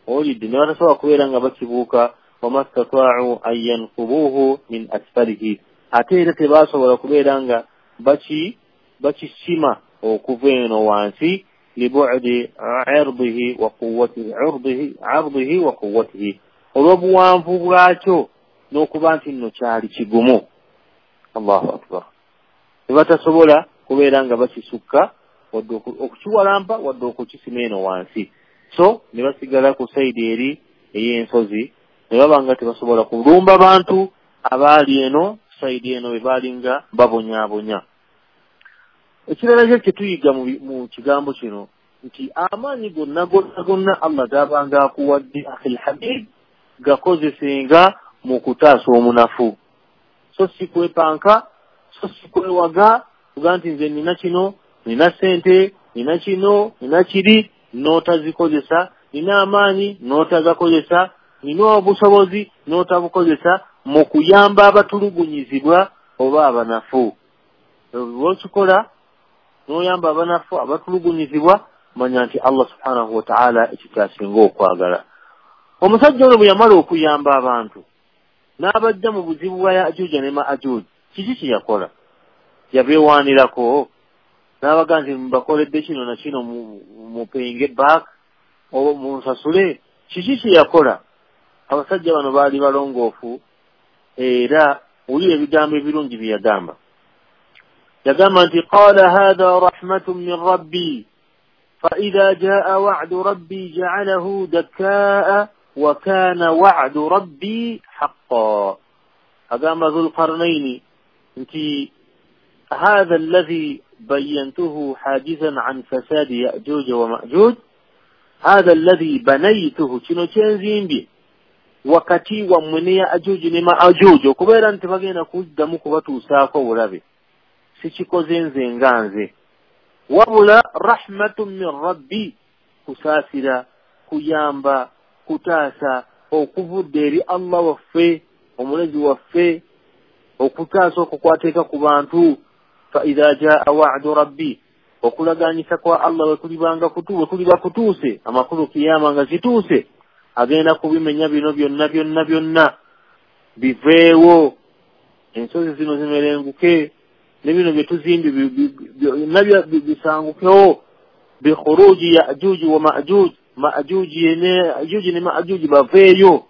olidde ne batasobola kubeera nga bakibuuka. Wamastata'u an yanqubuhu min asfalihi, ate era tebasobola kubeera nga bakisima okuva eno wansi, libu'di 'irdihi wa quwwatihi, 'irdihi wa quwwatihi, olw'obuwanvu bwakyo n'okuba nti nno kyali kigumu. Allahu akbar. Ne batasobola kubeera nga bakisukka wadde okukiwalampa wadde okukisima eno wansi, so ne basigala ku sayidi eri ey'ensozi, ne baba nga tebasobola kulumba bantu abaali eno sayidi eno be baali nga babonyaabonya. Ekirala kyo kye tuyiga mu kigambo kino nti amaanyi gonna gonna gonna Allah g'abanga akuwadde akhil habib, gakozesenga mu kutaasa omunafu, so si kwepanka, so si kwewaga kuga nti nze nina kino, nina ssente, nina kino, nina kiri, n'otazikozesa, nina amaanyi n'otagakozesa, nina obusobozi n'otabukozesa mu kuyamba abatulugunyizibwa oba abanafu. Lwokikola n'oyamba abanafu abatulugunyizibwa, manya nti Allah subhanahu wa ta'ala ekyo kyasinga okwagala. Omusajja ono bwe yamala okuyamba abantu n'abajja mu buzibu bwa Ya'juj ne Ma'juj, kiki kye yakola? Yabeewaanirako n'abaga nti mbakoledde kino na kino, mupayinge back oba munsasule. Kiki kye yakola? Abasajja bano baali balongoofu, era wulira ebigambo ebirungi bye yagamba. Yagamba nti qala hadha rahmatun min rabbi fa idha jaa wa'du rabbi ja'alahu dakkaa wa kana wa'du rabbi haqqan. Agamba Dhul-Qarnayn nti hadha alladhi bayyantuhu hajizan an fasadi Ya'juj wa Ma'juj, hadha alladhi banaytuhu, kino kyenzimbye wakati wammwe ne Ya'juj ne Ma'juj, okubeera nti bagenda kuddamu kubatuusaako obulabe, sikikoze nze nga nze, wabula rahmatun min rabbi, kusaasira, kuyamba, Kutaasa okuvudde eri Allah waffe, omulezi waffe, okutaasa okukwateeka ku bantu. Fa idha jaa wa'du rabbi, okulaganyisa kwa Allah wekulibanga wekuliba kutuuse, amakulu kiyama nga zituuse, agenda kubimenya bino byonna byonna byonna biveewo, ensozi zino zimerenguke, ne bino bye tuzimbye byonna bisangukewo. Bikhuruji Yajuji wa Majuj, Majuji ne Yajuji ne Majuji baveeyo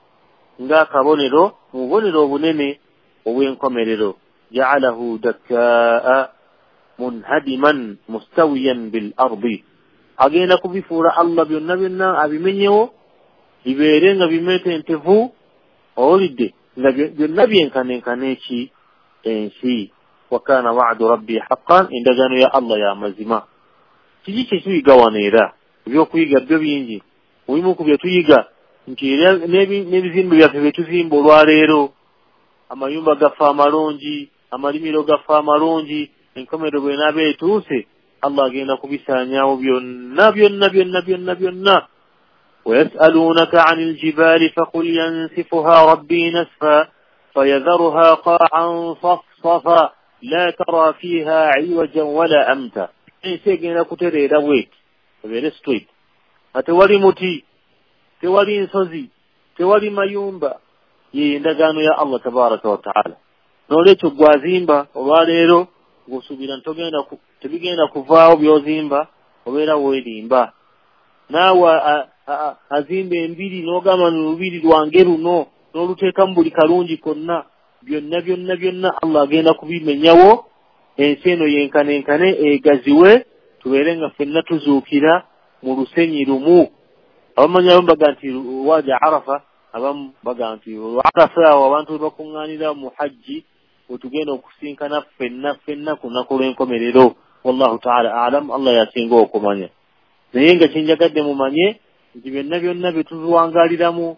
ng'akabonero mu bubonero obunene obw'enkomerero. Ja'alahu dakkaa munhadiman mustawiyan bil ardi, agenda kubifuula Allah byonna byonna abimenyewo bibeere nga bimetentevu, owulidde, nga byonna byenkanenkana eki ensi. Wa kana wa'du rabbi haqqan, endagaano ya Allah ya mazima. Kiki kye tuyiga wano? Era ebyokuyiga byo bingi. Mubimu ku bye tuyiga nti n'ebizimbe byaffe bye tuzimba olwaleero, amayumba gaffe amalungi, amalimiro gaffe amalungi, enkomerero bw'enaaba etuuse Allah agenda kubisaanyaawo byonna byonna byonna byonna byonna. ويسألونك عن الجبال فقل ينسفها ربي نسفا فيذرها قاعا صفصفا لا ترى فيها عوجا ولا أمتا. Ensi egenda kutereera bweti, ebeere straight, nga tewali muti, tewali nsozi, tewali mayumba. Ye endagaano ya Allah tabaraka wa taala. N'olwekyo gwazimba olwaleero ng'osuubira nti tebigenda kuvaawo by'ozimba, obeera weerimba. Naawe azimba embiri n'ogamba ni lubiri lwange luno, n'oluteekamu buli kalungi konna, byonna byonna byonna Allah agenda kubimenyawo, ensi eno yenkanenkane egaziwe, tubeere nga ffenna tuzuukira mu lusenyi lumu. Abamanyi abamu baga nti waja Arafa, abamu baga nti Arafa awo abantu we bakuŋŋaanira mu hajji, wetugenda okusinkana ffenna ffenna ku lunaku lw'enkomerero. Wallahu taala alam, Allah yasinga okumanya. Naye nga kyenjagadde mumanye nti byonna byonna bye tuziwangaaliramu,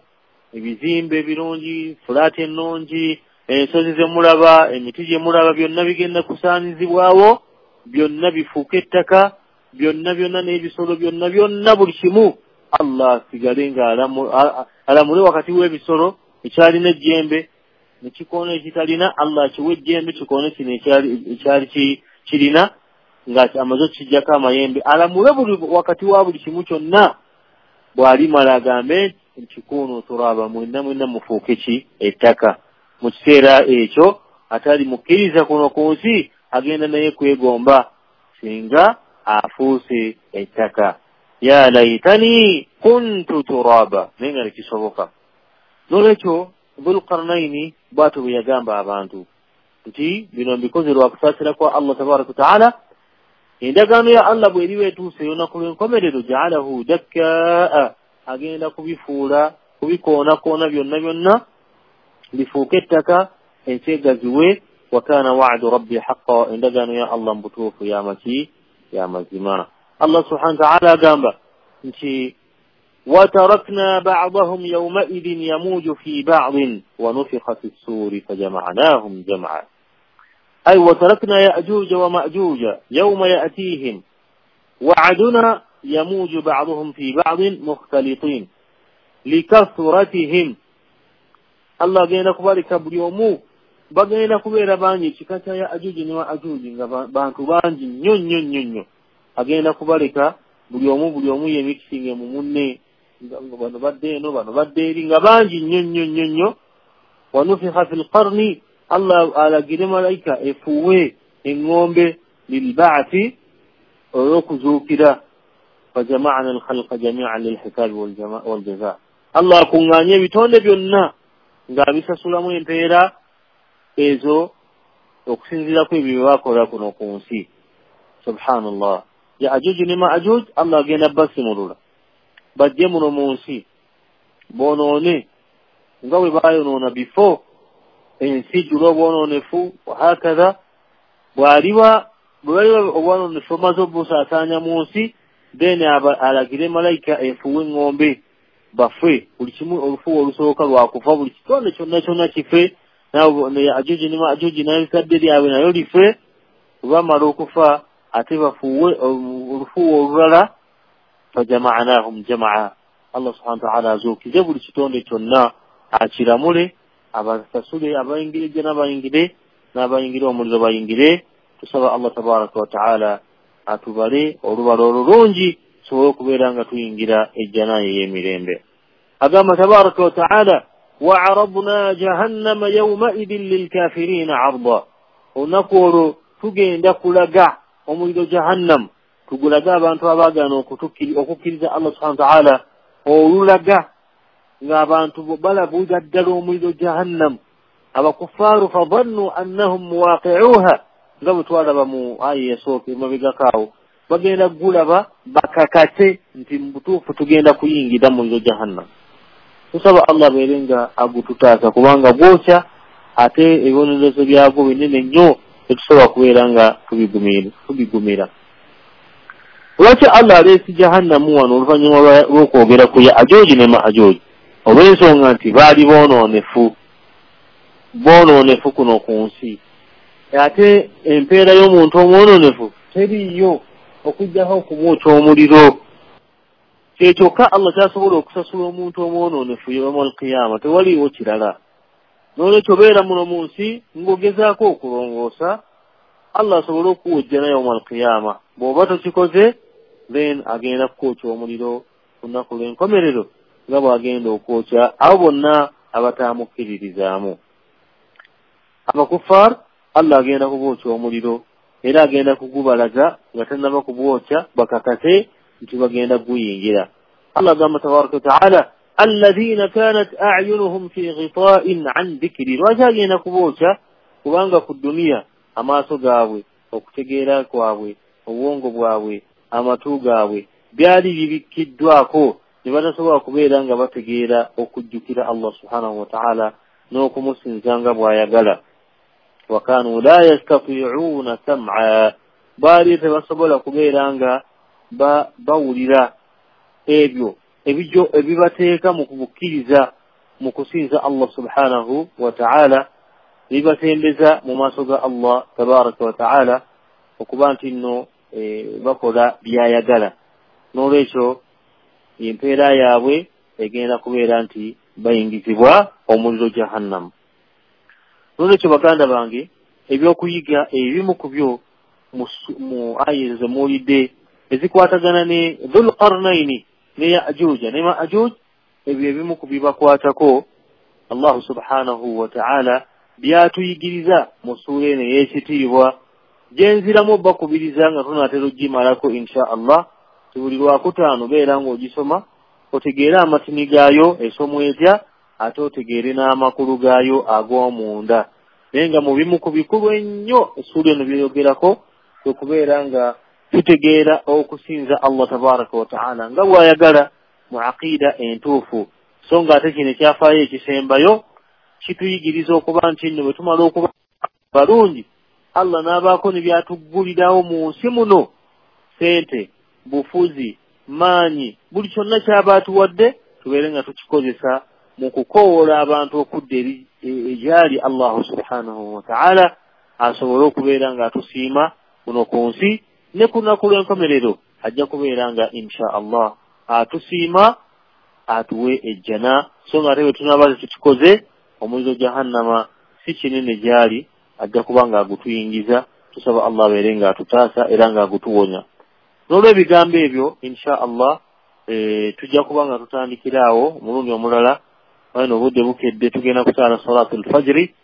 ebizimbe ebirungi, fulaati ennungi, ensozi ze mulaba, emiti gye mulaba, byonna bigenda kusaanyizibwawo, byonna bifuuke ettaka, byonna byonna n'ebisolo byonna byonna, buli kimu Allah asigale nga alamule wakati w'ebisolo ekyalina ejjembe nekikoona ekitalina, Allah akiwe ejjembe kikoone kino ekyali kirina nga amaze okukiggyako amayembe, alamule buli wakati wa buli kimu kyonna. Bw'alimala agambe nti kunu turaba, mwenna mwenna mufuuke ki ettaka. Mu kiseera ekyo atali mukkiriza kuno ku nsi agenda naye kwegomba singa afuuse ettaka. Ya laitani kuntu turaba, naye nga tekisoboka. N'olwekyo Dhulqarnaini bw'atyo bwe yagamba abantu nti bino mbikoze lwa kusaasira kwa Allah tabaraka wa taala. Endagaano ya Allah bw'eriba etuuse olunaku lw'enkomerero, ja'alahu dakkaa, agenda kubifuula kubikoonakoona byonna byonna bifuuke ettaka, ensi egaziwe. Wa kana wa'du rabbi haqqa, endagaano ya Allah mu butuufu yamaki ya mazima. Allah subhanahu wa ta'ala agamba nti وتركنا بعضهم يومئذ يموج في بعض ونفخ في السور فجمعناهم جمعا. أي وتركنا يأجوج ومأجوج يوم يأتيهم وعدنا يموج بعضهم في بعض مختلطين لكثرتهم. Allah agenda kubaleka buli omu, bagenda kubeera bangi, ekika kya Yaajuuji ne Maajuuji nga bantu bangi nnyo nnyo nnyo nnyo. Agenda kubaleka buli omu yemikisinge mu munne, bano badde eno, bano badde eri, nga bangi nnyo nnyo nnyo nnyo. Wanufikha fil qarni, Allah alagire malayika efuwe eŋŋombe lilba'thi, olw'okuzuukira. Fajama'na alkhalqa jami'an lilhisabi waljaza, Allah akuŋŋaanye ebitonde byonna ng'abisasulamu empeera ezo okusinziira ku ebyo bye bakola kuno ku nsi. Subhanallah. Yaajuuj ne Maajuuj Allah agenda basimulula bajje muno mu nsi bonoone nga bwe bayonoona before ensi ejjula obwonoonefu. Wahakatha, bw'aliba bwe baliba obwonoonefu omaze obusaasaanya mu nsi, then alagire malayika efuwe eŋŋombe bafe buli kimu. Olufuwa olusooka lwakufa, buli kitonde kyonna kyonna kife, Yaajuuji ne Maajuuji n'ebikadde lyabwe nayo life. Bwe bamala okufa ate bafuuwe olufuwa olulala, fajama'nahum jama'a, Allah subhanahu wa ta'ala azuukize buli kitonde kyonna akiramule, abasasule abayingire ejjana bayingire, n'abayingire omuliro bayingire. Tusaba Allah tabaraka wa ta'ala atubale olubala olulungi tusobole okubeera nga tuyingira ejjana ey'emirembe. Agamba tabaraka wa ta'ala wa'aradna jahannama yawma'idhin lilkafirina 'arda, olunaku olwo tugenda kulaga omuliro jahannam, tugulaga abantu abaagaana okukkiriza Allah subhanahu wa ta'ala, olulaga ng'abantu balabuuza ddala omuliro jahannam. Abakufaaru fadhannu annahum muwaqi'uha, nga bwe twalaba mu aya esooka emabegako awo, bagenda gulaba bakakate nti mu butuufu tugenda kuyingira muliro jahannam. Tusaba Allah abeere nga agututaasa, kubanga gwokya ate ebibonerezo byagwo binene nnyo, tetusobola kubeera nga tubigumira. Lwaki Allah aleese jahannamu wano oluvannyuma lw'okwogera ku Yaajuuji ne Maajuuji? Olw'ensonga nti baali boonoonefu kuno ku nsi, ate empeera y'omuntu omwonoonefu teriiyo okuggyako okumwokya omuliro. Kyekyokka Allah kyasobola okusasula omuntu omwonoonefu yawmal qiyama, tewaliiwo kirala. N'olwekyo beera muno mu nsi ng'ogezaako okulongoosa, Allah asobole okuwujja naye yawmal qiyama. Bw'oba tokikoze, then agenda kukwokya omuliro ku lunaku lw'enkomerero nga bw'agenda okwokya abo bonna abataamukkiririzaamu. Abakuffar Allah agenda kubookya omuliro, era agenda kugubalaga nga tannaba kubwokya bakakate nti bagenda guyingira. Allah agamba tabaraka wa ta'ala alladhina kanat a'yunuhum fi ghita'in an dhikri. Lwaki agenda kubookya? Kubanga ku duniya amaaso gaabwe, okutegeera kwabwe, obwongo bwabwe, amatu gaabwe byali bibikkiddwako ne batasobola kubeera nga bategeera okujjukira Allah subhanahu wa ta'ala n'okumusinza nga bw'ayagala. Wakanu la yastati'una sam'a, baali tebasobola kubeera nga bawulira ebyo ebijjo ebibateeka mu kubukkiriza mu kusinza Allah subhanahu wa ta'ala, bibatembeza mu maaso ga Allah tabaraka wa ta'ala okuba nti nno bakola byayagala. N'olwekyo empeera yaabwe egenda kubeera nti bayingizibwa omuliro jahannamu. N'olwekyo baganda bange, ebyokuyiga ebimu ku byo mu aya ezo zemuwulidde ezikwatagana ne Dhul Qarnaini ne Yaajuuja ne Maajuuj, ebyo ebimu ku bibakwatako Allahu subhanahu wa ta'ala byatuyigiriza mu ssuula eno ey'ekitiibwa gyenziramu bakubiriza nga tunaatera ogimalako insha Allah. Buli lwakutaano beera ng'ogisoma otegeere amatini gaayo esomwa etya, ate otegeere n'amakulu gaayo ag'omunda. Naye nga mu bimu ku bikulu ennyo essuula eno byeyogerako kwe kubeera nga tutegeera okusinza Allah tabaraka wa ta'ala nga bw'ayagala mu aqiida entuufu. So nga ate kino ekyafaayo ekisembayo kituyigiriza okuba nti nno bwe tumala okuba balungi, Allah n'abaako ne byatuggulirawo mu nsi muno, sente, bufuzi, maanyi, buli kyonna ky'aba atuwadde tubeere nga tukikozesa mu kukoowoola abantu okudda eri egyali Allahu subhanahu wa ta'ala, asobole okubeera nga atusiima kuno ku nsi ne ku lunaku lw'enkomerero ajja kubeera nga insha Allah atusiima atuwe ejjana. So nga ate bwe tunaaba tukikoze, omuliro jahannama si kinene gyali, ajja kuba nga agutuyingiza. Tusaba Allah abeere nga atutaasa era nga agutuwonya. N'olw'ebigambo ebyo insha Allah tujja kuba nga tutandikira awo omulundi omulala. Wano obudde bukedde, tugenda kusaala salatul fajiri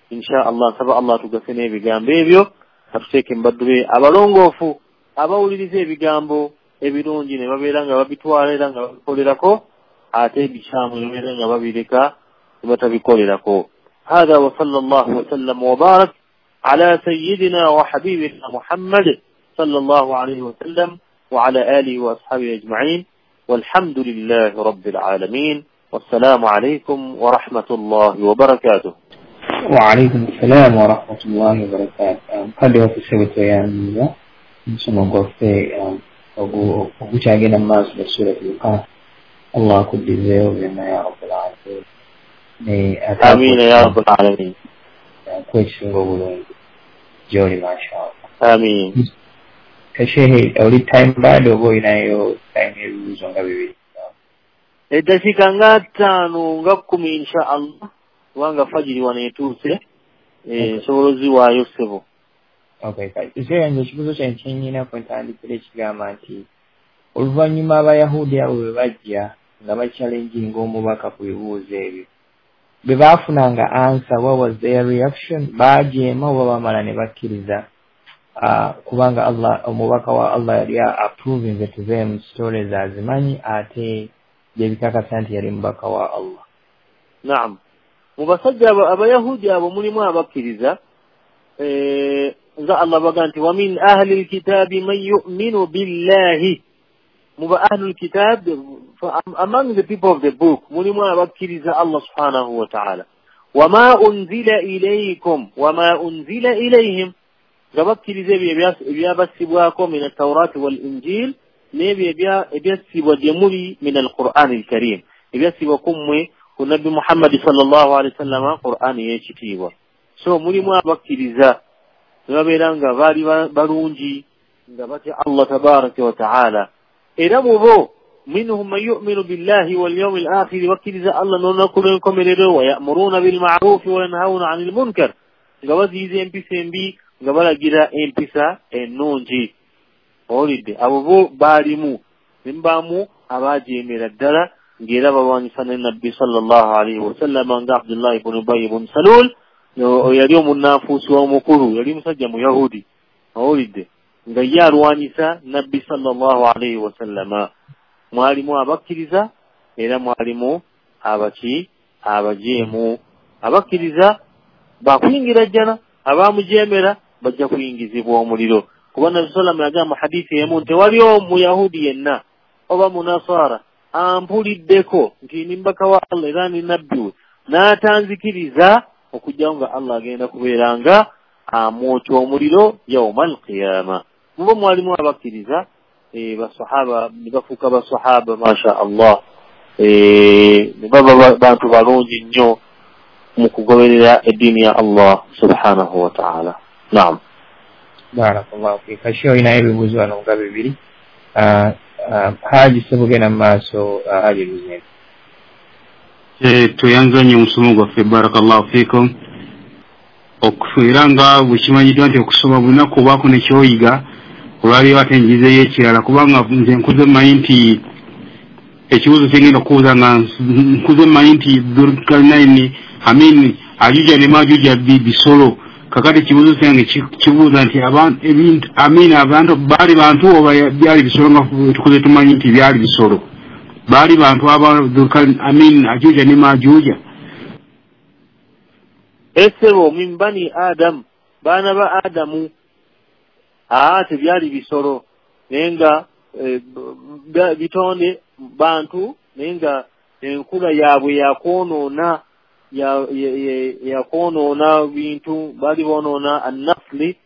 insha Allah. Nsaba Allah atugase n'ebigambo ebyo, atuteeke mu baddu be abalongoofu abawuliriza ebigambo ebirungi ne babeera nga babitwala era nga babikolerako, ate ebikyamu ne babeera nga babireka ne batabikolerako. Hatha wa sallallahu wa sallam wa barak ala sayyidina wa habibina Muhammad sallallahu alayhi wa sallam wa ala alihi wa ashabihi ajma'in, walhamdulillahi rabbil alamin. Wassalamu alaykum wa rahmatullahi wa barakatuh. Wa alaykum assalam wa rahmatullahi wa barakatuh. Mukadde waffe ssebo tweyanziza omusomo gwaffe ogukyagenda mu maaso ga Suratul Kahf. Allah akuddizeewo byonna ya rabbal alamin. Amiina ya rabbal alamin. Akuwa ekisinga obulungi gy'oli mashallah. Amiin. Shehe, oli time bad oba olinayo time y'ebibuuzo nga bibiri? Eddakiika nga 5 nga 10 insha Allah, kubanga fajiri wano etuuse, nsobola oziwaayo ssebo. Okay, kale nze ekibuuzo kyange kyennyina kwe ntandikira ekigamba nti oluvannyuma Abayahudi abo bwe bajja nga bakyalenjinga omubaka ku bibuuzo ebyo, bwe baafunanga answer, what was their reaction? Baajeema oba bamala ne bakkiriza? Kubanga Allah, omubaka wa Allah yali approving to them stories azimanyi, ate byebikakasa nti yali mubaka wa Allah. Naam, mu basajja Abayahudi abo mulimu abakkiriza, nga Allah baga nti wa min ahli lkitabi man yu'minu billahi. Mu ba ahli lkitab, among the people of the book, mulimu abakkiriza Allah subhanahu wa ta'ala. Wama unzila ilaykum wama unzila ilayhim, nga bakkiriza ebyo ebyabassibwako min at-taurati wal injil, n'ebyo ebyassibwa gye muli min al-Qur'ani al-Karim, ebyassibwa ku mmwe ku Nabbi Muhammadi sallallahu alaihi wasallama, Qur'ani y'ekitiibwa. So mulimu abakkiriza ne babeera nga baali balungi, nga batya Allah tabaraka wa ta'ala. Era mu bo minhum man yu'minu billahi wal yawmil akhir, bakkiriza Allah n'olunaku lw'enkomerero, wa ya'muruna bil ma'rufi wa yanhauna 'anil munkar, nga baziyiza empisa embi, nga balagira empisa ennungi. Owulidde? Abo bo baalimu, ne mubaamu abaajeemera ddala, ng'era balwanyisa ne Nabbi sallallahu alaihi wasallama, nga Abdullah ibn Ubay ibn Salul, yali omunnanfuusi omukulu, yali musajja Muyahudi. Owulidde? Nga ye alwanyisa Nabbi sallallahu alaihi wasallama. Mwalimu abakkiriza, era mwalimu abaki abajeemu. Abakkiriza bakuyingira jjana, abamujeemera bajja kuyingizibwa omuliro. Kuba Nabbi sallallahu yagamba hadithi emu nti waliwo Muyahudi yenna oba Munasara ampuliddeko nti ndi mubaka wa Allah era ndi nabbi we, n'atanzikiriza, okujjawo nga Allah agenda kubeera nga amwokya omuliro yauma alqiyama. Mubo mwalimu abakkiriza, basahaba ne bafuuka basahaba, masha Allah, ne baba bantu balungi nnyo mu kugoberera eddiini ya Allah subhanahu wa ta'ala. Naam. Barakallahu fika. Sheikh, olinayo ebibuuzo wano nga bibiri. Haji ssebo, genda mu maaso. Haji Luzinda. Tweyanza nnyo omusomo gwaffe, barakallahu fikum. Era nga bwe kimanyiddwa nti okusoma bunaku obaako ne kyoyiga, olwaliyo ate njizeeyo ekirala, kubanga nze nkuze mmanyi nti ekibuuzo kyengenda okubuuza, nga nkuze mmanyi nti Dhulkarnaini, amin, Ajuja ne Majuja bisolo. Kakati ekibuuzo kyange kibuuza nti ebintu, amin, abantu baali bantu oba byali bisolo? Nga tukuze tumanyi nti byali bisolo, baali bantu aba amin, Ajuja ne Majuja? Esebo min bani Adam, baana ba Adamu. Tebyali bisolo, naye nga bitonde bantu, naye nga enkula yaabwe yakwonoona, yakwonoona bintu. Baali boonoona annafli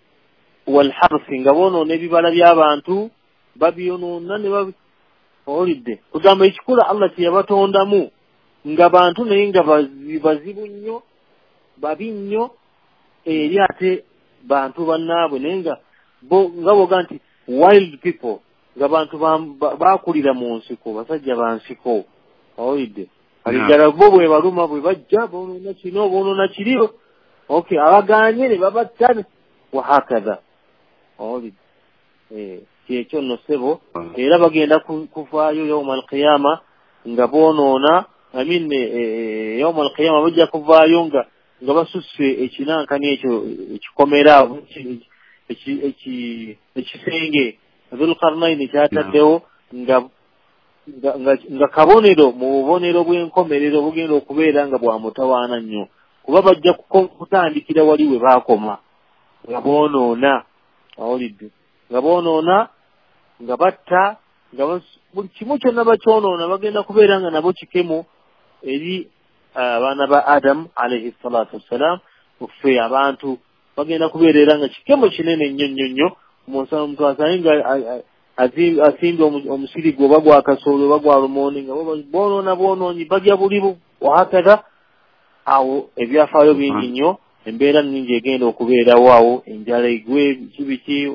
walharsi, nga boonoona ebibala by'abantu, babyonoona ne owulidde? Kugamba ekikula Allah kye yabatondamu nga bantu, naye nga bazibu nnyo, babi nnyo eri ate bantu bannaabwe, naye nga bo nga boga nti wild people, nga bantu bakulira mu nsiko, basajja ba nsiko. Owulidde? Kale ddala bo bwe baluma, bwe bajja boonoona kino, boonoona kiri, okay, abagaanye ne babatta, wahakadha. Owulidde? Kyekyo nno ssebo. Era bagenda kuvaayo yauma alqiyama nga boonoona, amin, yauma alqiyama bajja kuvaayo nga basusse ekinankani ekyo ekikomera, ekisenge Dhulqarnaini kyataddewo, nga kabonero mu bubonero bw'enkomerero bugenda okubeera nga bwa mutawaana nnyo, kuba bajja kutandikira wali we baakoma, nga boonoona. Owulidde? Nga boonoona, nga batta, nga buli kimu kyonna bakyonoona, bagenda kubeera nga nabo kikemo eri abaana ba Adamu alaihi salatu wassalam. Ffe abantu bagenda kubeera era nga kikemo kinene nnyo nnyo nnyo. Omuntu asange nga asimbye omusiri gwe oba gwa kasooli oba gwa lumonde, nga boonoona boonoonyi, balya bulibu, wahakadha. Awo ebyafaayo bingi nnyo, embeera nnyingi egenda okubeerawo awo, enjala egwe, biki biki,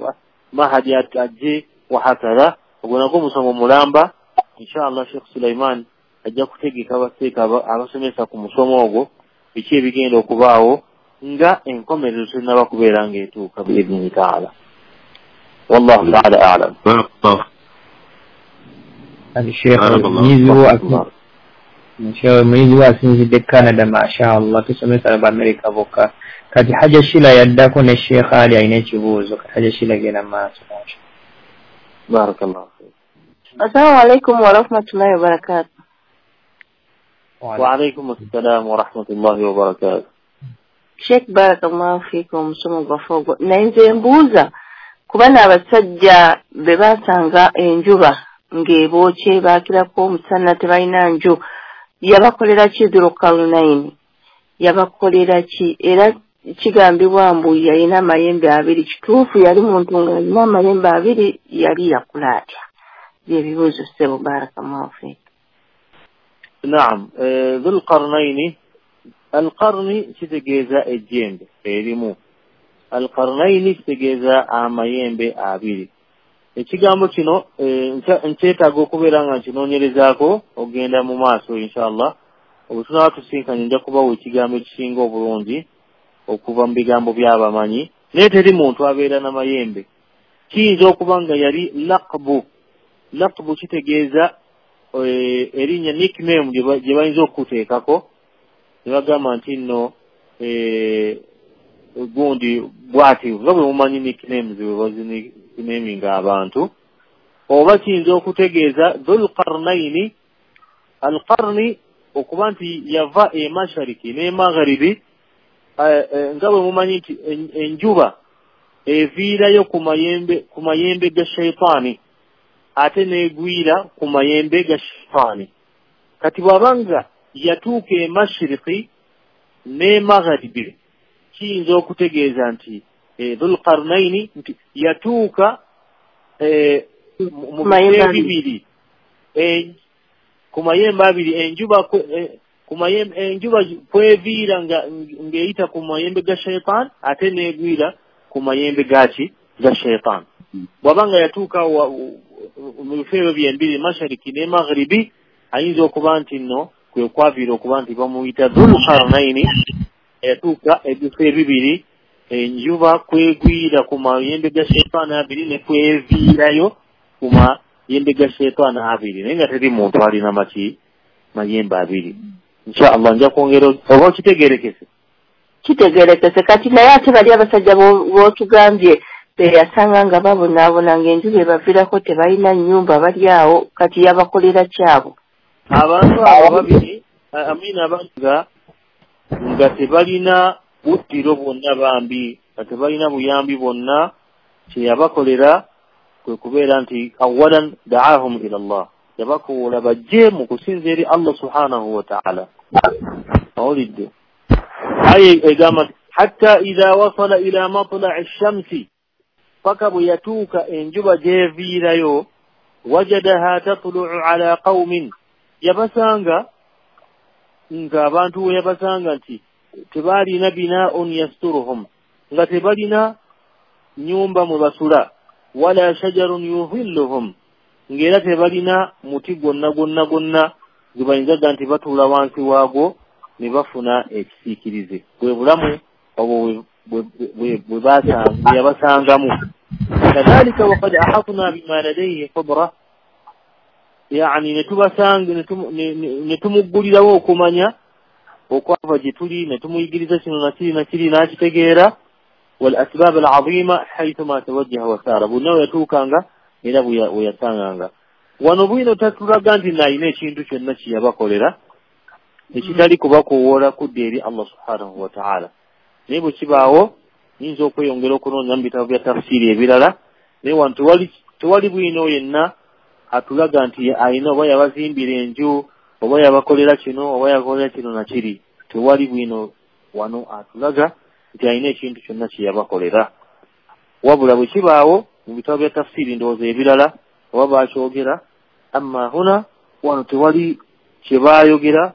Mahadi ajje, wahakadha. Ogwo nagwo omusomo mulamba, inshallah. Sheikh Sulaiman Ajja kutegeka abaseeka abasomesa ku musomo ogwo biki ebigenda okubaawo nga enkomerero tennaba kubeera ng'etuuka biidhini taala. Wallahu taala a'lam. Muyizi wo asinzidde Canada, mashallah, tusomesa ba America bokka. Kati Haja Shila yaddako ne Sheikh Ali alina ekibuuzo. Kati Haja Shila genda maaso. Barakallahu fiik. Assalamu alaikum warahmatullahi wabarakatuh. Wa alaikum assalam warahmatullahi wabarakatuh. Sheikh, barakallahu fiikum, omusomo gwaffe ogwo. Naye nze mbuuza kuba n'abasajja be basanga enjuba ng'ebookye baakirako omusana tebalina nju, yabakolera ki Dhulqarnaini? Yabakolera ki? Era kigambibwa mbu yalina amayembe abiri. Kituufu yali muntu ng'alina amayembe abiri? Yali yakula atya? Byebibuuzo ssebo, barakallahu fiik. Naam, Dhulqarnaini, alqarni kitegeeza ejjembe erimu, alqarnaini kitegeeza amayembe abiri. Ekigambo kino nkyetaaga okubeera nga nkinoonyerezaako ogenda mu maaso inshallah. Obwe tunaaba tusinkanye nja kubawa ekigambo ekisinga obulungi okuva mu bigambo by'abamanyi. Naye teri muntu abeera n'amayembe. Kiyinza okuba nga yali laqbu. Laqbu kitegeeza erinnya, nickname gye bayinza okuteekako ne bagamba nti nno gundi bw'ati, nga bwe mumanyi nicknames bwe bazinicknaminga abantu. Oba kiyinza okutegeeza Dhulqarnaini, alqarni okuba nti yava e mashariki ne magharibi, nga bwe mumanyi nti enjuba eviirayo ku mayembe ga shaitaani ate n'egwira ku mayembe ga shaitaani. Kati bw'abanga yatuuka e mashiriki ne magharibi, kiyinza okutegeeza nti Dhulqarnaini nti yatuuka mu bifo bibiri, ku mayembe abiri, enjuba enjuba kweviira ng'eyita ku mayembe ga shaitaani ate n'egwira ku mayembe gaki ga shaitaani. Bw'abanga yatuuka mu bifo ebyo byembiri, mashariki ne magharibi, ayinza okuba nti nno kwe kwaviira okuba nti bamuyita Dhulqarnaini, yatuuka ebifo ebibiri, enjuba kwegwira ku mayembe ga shaitaani abiri ne kweviirayo ku mayembe ga shaitaani abiri. Naye nga teri muntu alina maki mayembe abiri. Inshallah nja kwongera oba okitegeerekese. Kitegeerekese. Kati naye ate bali abasajja b'otugambye beyasanga nga babonaabona ng'enjuba ebaviirako tebalina nnyumba bali awo, kati yabakolera kyabo? Abantu abo babiri, amina, abantu nga tebalina buddiro bwonna bambi, nga tebalina buyambi bwonna, kyeyabakolera kwe kubeera nti awalan da'ahum ila Allah, yabakowola bajje mu kusinza eri Allah subhanahu wa ta'ala. Awulidde aye egamba nti hatta idha wasala ila matla'i shamsi, paka bwe yatuuka enjuba gy'eviirayo, wajadaha tatlu'u ala qaumin, yabasanga nga abantu we yabasanga nti tebalina bina'un yasturuhum, nga tebalina nyumba mwe basula, wala shajarun yuhilluhum, ng'era tebalina muti gwonna gwonna gwonna gwe bayinzaga nti batuula wansi waagwo ne bafuna ekisiikirize. Bwe bulamu obwo bwe yabasangamu. Kadhalika waqad ahatna bima ladayhi khubra, yani netubasanga netumuggulirawo okumanya okwava gye tuli, ne tumuyigiriza kino nakiri nakiri n'akitegeera. Wal asbab al azima haythuma tawajjaha wasara, bonna we yatuukanga era bwe yasanganga. Wano bwino tatulaga nti nalina ekintu kyonna kye yabakolera ekitali kubakowoola kudda eri Allah subhanahu wa ta'ala. Naye bwe kibaawo nyinza okweyongera okunoonya mu bitabo bya tafsiiri ebirala, naye wano tewali bwino yenna atulaga nti alina oba yabazimbira enju oba yabakolera kino oba yabakolera kino nakiri. Tewali bwino wano atulaga nti alina ekintu kyonna kye yabakolera. Wabula bwe kibaawo mu bitabo bya tafsiiri ndowooza ebirala oba bakyogera, amma huna wano tewali kye baayogera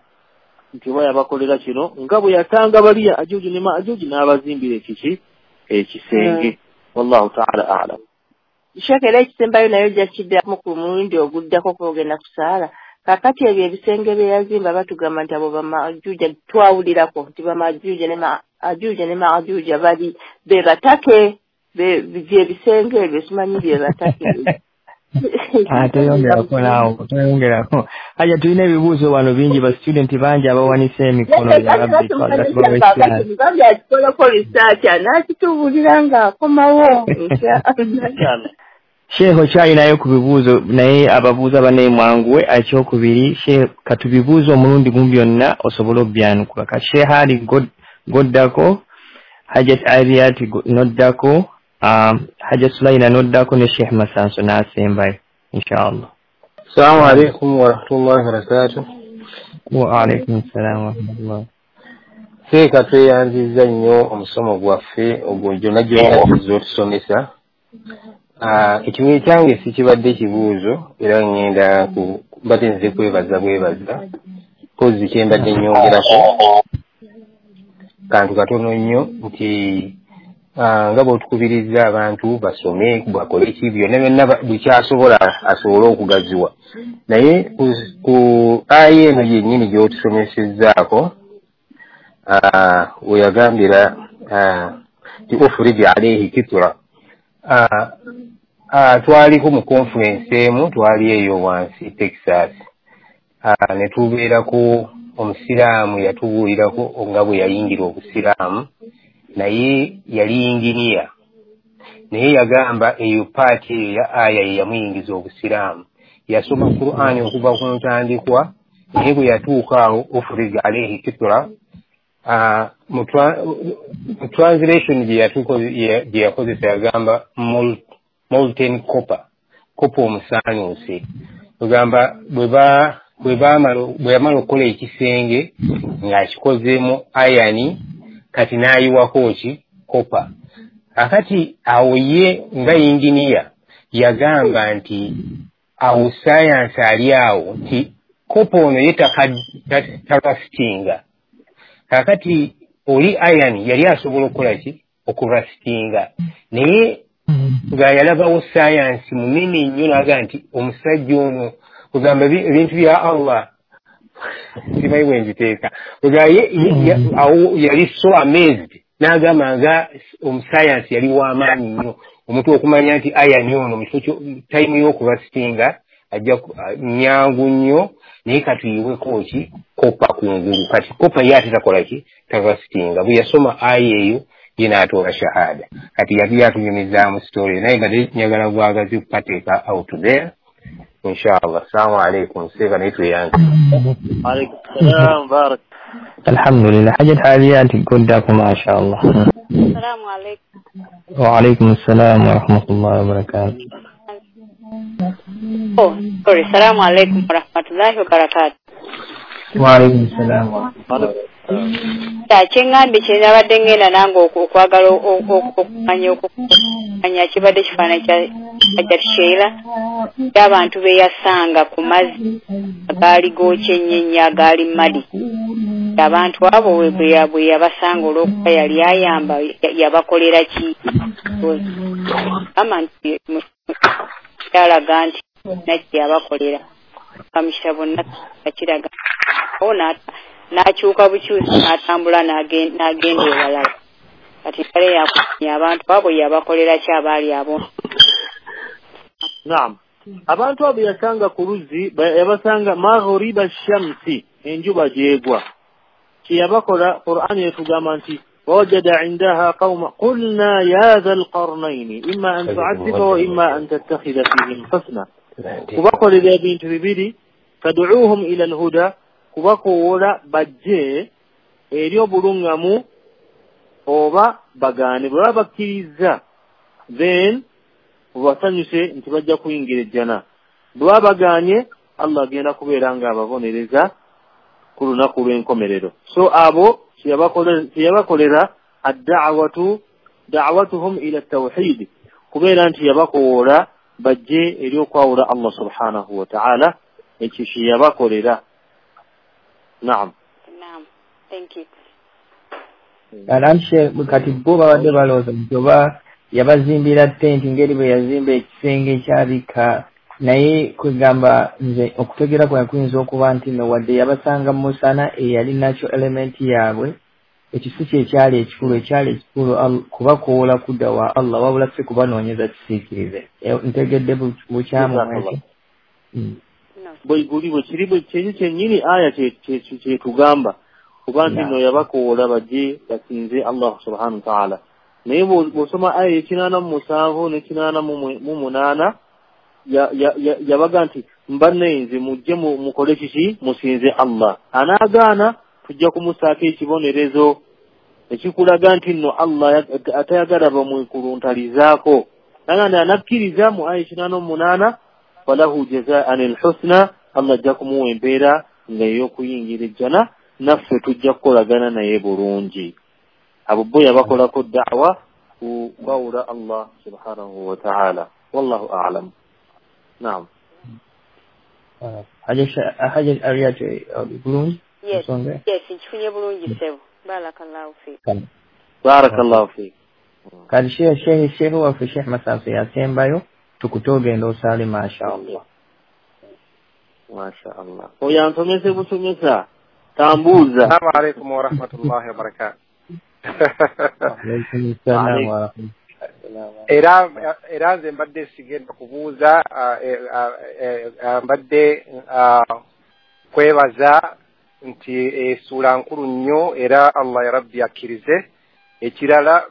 nti oba yabakolera kino, nga bwe yatanga baliya Ajuuji ne Maajuuji n'abazimbira ekiki ekisenge. Wallahu ta'ala a'lam. Sheikh, era ekisembayo nayo ojja kiddamu ku mulundi oguddako kwogenda kusaala. Kakati ebyo ebisenge bye yazimba batugamba nti abo bamajuja, twawulirako nti bamajuja ne maajuja ne maajuja bali be batake byebisenge ebyo, simanyi bye batake. Toyongerako naawo, toyongerako. Hajja, tulina ebibuuzo wano bingi, ba student bangi abawanise emikono. Yabbi akikolako research anaakitubuulira ng'akomawo. Sheikh, okyalinayo ku bibuuzo, naye ababuuza bannaye mwanguwe. Ekyokubiri, Sheikh, katubibuuze omulundi gumu byonna osobole obyanukula. Ka Sheikh Ali goddako, Hajat Ariat noddako, Hajat Sulaina noddako, ne Sheikh Masanso n'asembayo inshallah. Assalamu alaikum warahmatullahi wabarakatuh. Wa alaikum assalam warahmatullah. Seeka, tweyanzizza nnyo omusomo gwaffe ogwo gyonna gyonna tuzze. Ekimu ekyange si kibadde kibuuzo, era ŋŋenda mbadde nze kwebaza bwebaza. Kozi kye mbadde nnyongerako kantu katono nnyo, nti nga bw'otukubiriza abantu basome, bakole ki, byonna byonna buli kyasobola asobole okugaziwa, naye ku aya eno yennyini gy'otusomesezzaako, weyagambira nti ufrij alaihi kitra, twaliko mu conference emu, twali eyo wansi Texas, ne tubeerako omusiraamu yatubuulirako nga bwe yayingira obusiraamu, naye yali yinginiya, naye yagamba eyo part eyo ya aya ye yamuyingiza obusiraamu. Yasoma Qur'ani okuva ku ntandikwa, naye bwe yatuuka awo ufrij alaihi kitra, mu translation gye yakozesa yagamba molten copper, copper omusaanuuse. Ogamba bwe yamala okukola ekisenge ng'akikozeemu iron, kati n'ayiwako ki? Copper. Akati awo ye nga yinginiya yagamba nti awo sayansi ali awo nti copper ono ye tarustinga. Kakati oli iron yali asobola okukola ki? Okurustinga. Naye nga yalabawo sayansi munene nnyo, n'agamba nti omusajja ono, kugamba ebintu bya Allah simanyi bwe nziteeka, awo yali so amazed, n'agamba nga omusayansi yali w'amaanyi nnyo, omuntu okumanya nti iron ono mu kifo time y'okurustinga ajja nyangu nnyo, naye katuyiweko ki? Copper kungulu. Kati copper ye ate takola ki? Tarustinga. Bwe yasoma aya eyo ye n'atoola shahada. Kati yali yatunyumizaamu story, naye nga njagala bwagazi kukateeka out there inshallah. Assalamu alaikum. Seeka, naye tweyanze. Alaikum salam barak. Alhamdulillah. Hajat Aliyat goddako, mashallah. Assalamu alaikum. Wa alaikum assalam warahmatullahi wabarakatuh. Oh, sorry. Assalamu alaikum warahmatullahi wabarakatuh. Wa alaikum salam warahmatullahi. Kyeŋŋambye kye nabadde ŋŋenda nange okwagala okumanya kibadde kifaananyi kya Hajat Sheila y'abantu be yasanga ku mazzi agaali gookya ennyo ennyo agaali muddy. Abantu abo bwe yabasanga, olw'okuba yali ayamba, yabakolera ki? Gamba nti kyalaga nti nakye yabakolera mu kitabo nakiraga awo, n'akyuka bukyusi n'atambula n'agenda ewalala. Kati kale yakumanya abantu abo yabakolera ki abaali abo? Naam, abantu abo yasanga ku luzzi, yabasanga maghriba shamsi, enjuba gyegwa. Kyeyabakola, Qur'ani etugamba nti wawajada indaha qawma qulna ya dha alqarnaini imma an tu'adhiba wa imma an tattakhidha fihim husna. Kubakolera ebintu bibiri, tad'uuhum ila alhuda, kubakowoola bajje eri obuluŋŋamu, oba bagaane. Bwe baba bakkiriza, then obasanyuse nti bajja kuyingira ejjana. Bwe baba bagaanye, Allah agenda kubeera nga ababonereza ku lunaku lw'enkomerero. So abo kyeyabakolera adda'watu, da'watuhum ila tawhid, kubeera nti yabakowoola bajje eri okwawula Allah subhanahu wa ta'ala. Ekyo kyeyabakolera. Naam. Naam, thank you. Alanshe, kati bo babadde balowooza nti oba yabazimbira tenti ngeri bwe yazimba ekisenge ekyabika. Naye kwegamba nze okutegeera kwange kuyinza okuba nti no wadde yabasanga mu musana eyali natural element yaabwe, ekyo si kyekyali ekikulu. Ekyali ekikulu kubakoola kudda wa Allah, wabula si kubanoonyeza kisiikirize. Ntegedde bukyamu mwekyo? Bwe guli bwe kiri bwe kyekyo kyennyini aya kyetugamba, kuba nti nno yabakoola bajje basinze Allah subhanahu wataala. Naye bw'osoma aya 87 ne 88, yabaga nti mbanne mujje mukole kiki, musinze Allah. Anaagaana tujja kumusaako ekibonerezo ekikulaga nti nno Allah atayagala bamwekuluntalizaako. Naganda anakkiriza mu aya 88, falahu jazaan alhusna, Allah ajja kumuwa empeera nga ey'okuyingira ejjana, naffe tujja kukolagana naye bulungi. Abo bo yabakolako da'wa ku kwawula Allah subhanahu wa ta'ala. Wallahu a'lam. Naam. Haja Ariat bulungi? Yes, nkifunye bulungi ssebo. Barakallahu fiik. Barakallahu fiik. Kati shehe waffe Sheikh Masasu yasembayo, tukute ogenda osaale masha Allah. Masha Allah. Oyo ansomese busomesa tambuuza. Assalamu alaikum warahmatullahi wabarakatuh. Era nze mbadde sigenda kubuuza, mbadde kwebaza nti essuula nkulu nnyo, era Allah ya Rabbi akkirize. Ekirala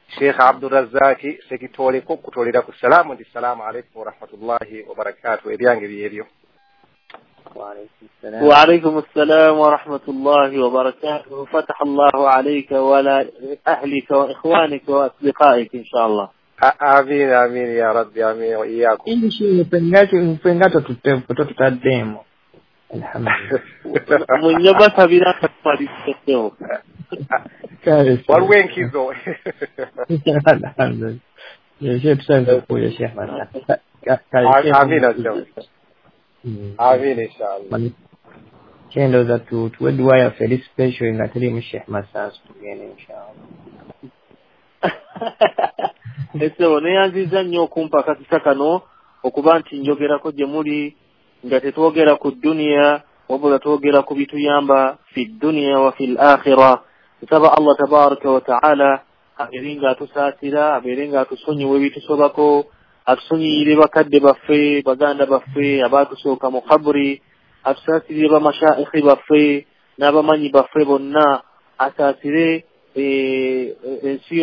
Sheikh Abdurrazaki sekitooleko kutolera ku salaamu nti salaamu alaikum warahmatullahi wabarakatuh. Ebyange byebyo. وعليكم السلام ورحمة الله وبركاته. فتح الله عليك وعلى أهلك وإخوانك وأصدقائك إن شاء الله. آمين آمين يا رب، آمين وإياكم. إن شاء الله. الحمد لله. من يبث بنا تفضل. والوين كيزو. الحمد لله. يا شيخ سامي يا شيخ. آمين آمين إن شاء الله. Kyendowooza tuwe dduwa yaffe eri special nga teriimu Sheikh Masasu, tugende inshallah. Essebo neeyanzizza nnyo okumpa akakisa kano okuba nti njogerako gye muli nga tetwogera ku dduniya wabula twogera ku bituyamba fi dduniya wa fi l-akhira. Nsaba Allah tabaraka wa taala abeere nga atusaasira, abeere nga atusonyiwa ebitusobako, atusonyiyire bakadde baffe, baganda baffe abaatusooka mu kaburi, atusaasirire bamashaikhi baffe n'abamanyi baffe bonna, asaasire ensi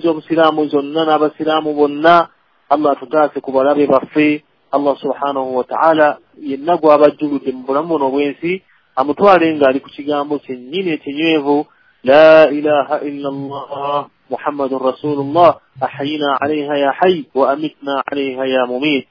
z'obusiraamu zonna n'abasiraamu bonna. Allah atutaase ku balabe baffe. Allah subhanahu wa ta'ala yenna gw'abajjuludde mu bulamu buno obw'ensi amutwale ng'ali ku kigambo kyennyini ekinywevu, la ilaha illa Allah محمد رسول الله، أحينا عليها يا حي وأمتنا عليها يا مميت.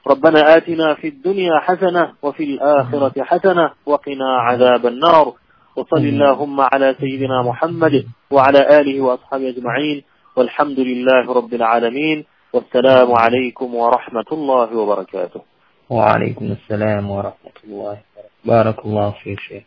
ربنا آتنا في الدنيا حسنة وفي الآخرة حسنة وقنا عذاب النار. وصل اللهم على سيدنا محمد وعلى آله وأصحابه أجمعين، والحمد لله رب العالمين، والسلام عليكم ورحمة الله وبركاته. وعليكم السلام ورحمة الله وبركاته. بارك الله فيك شيخ.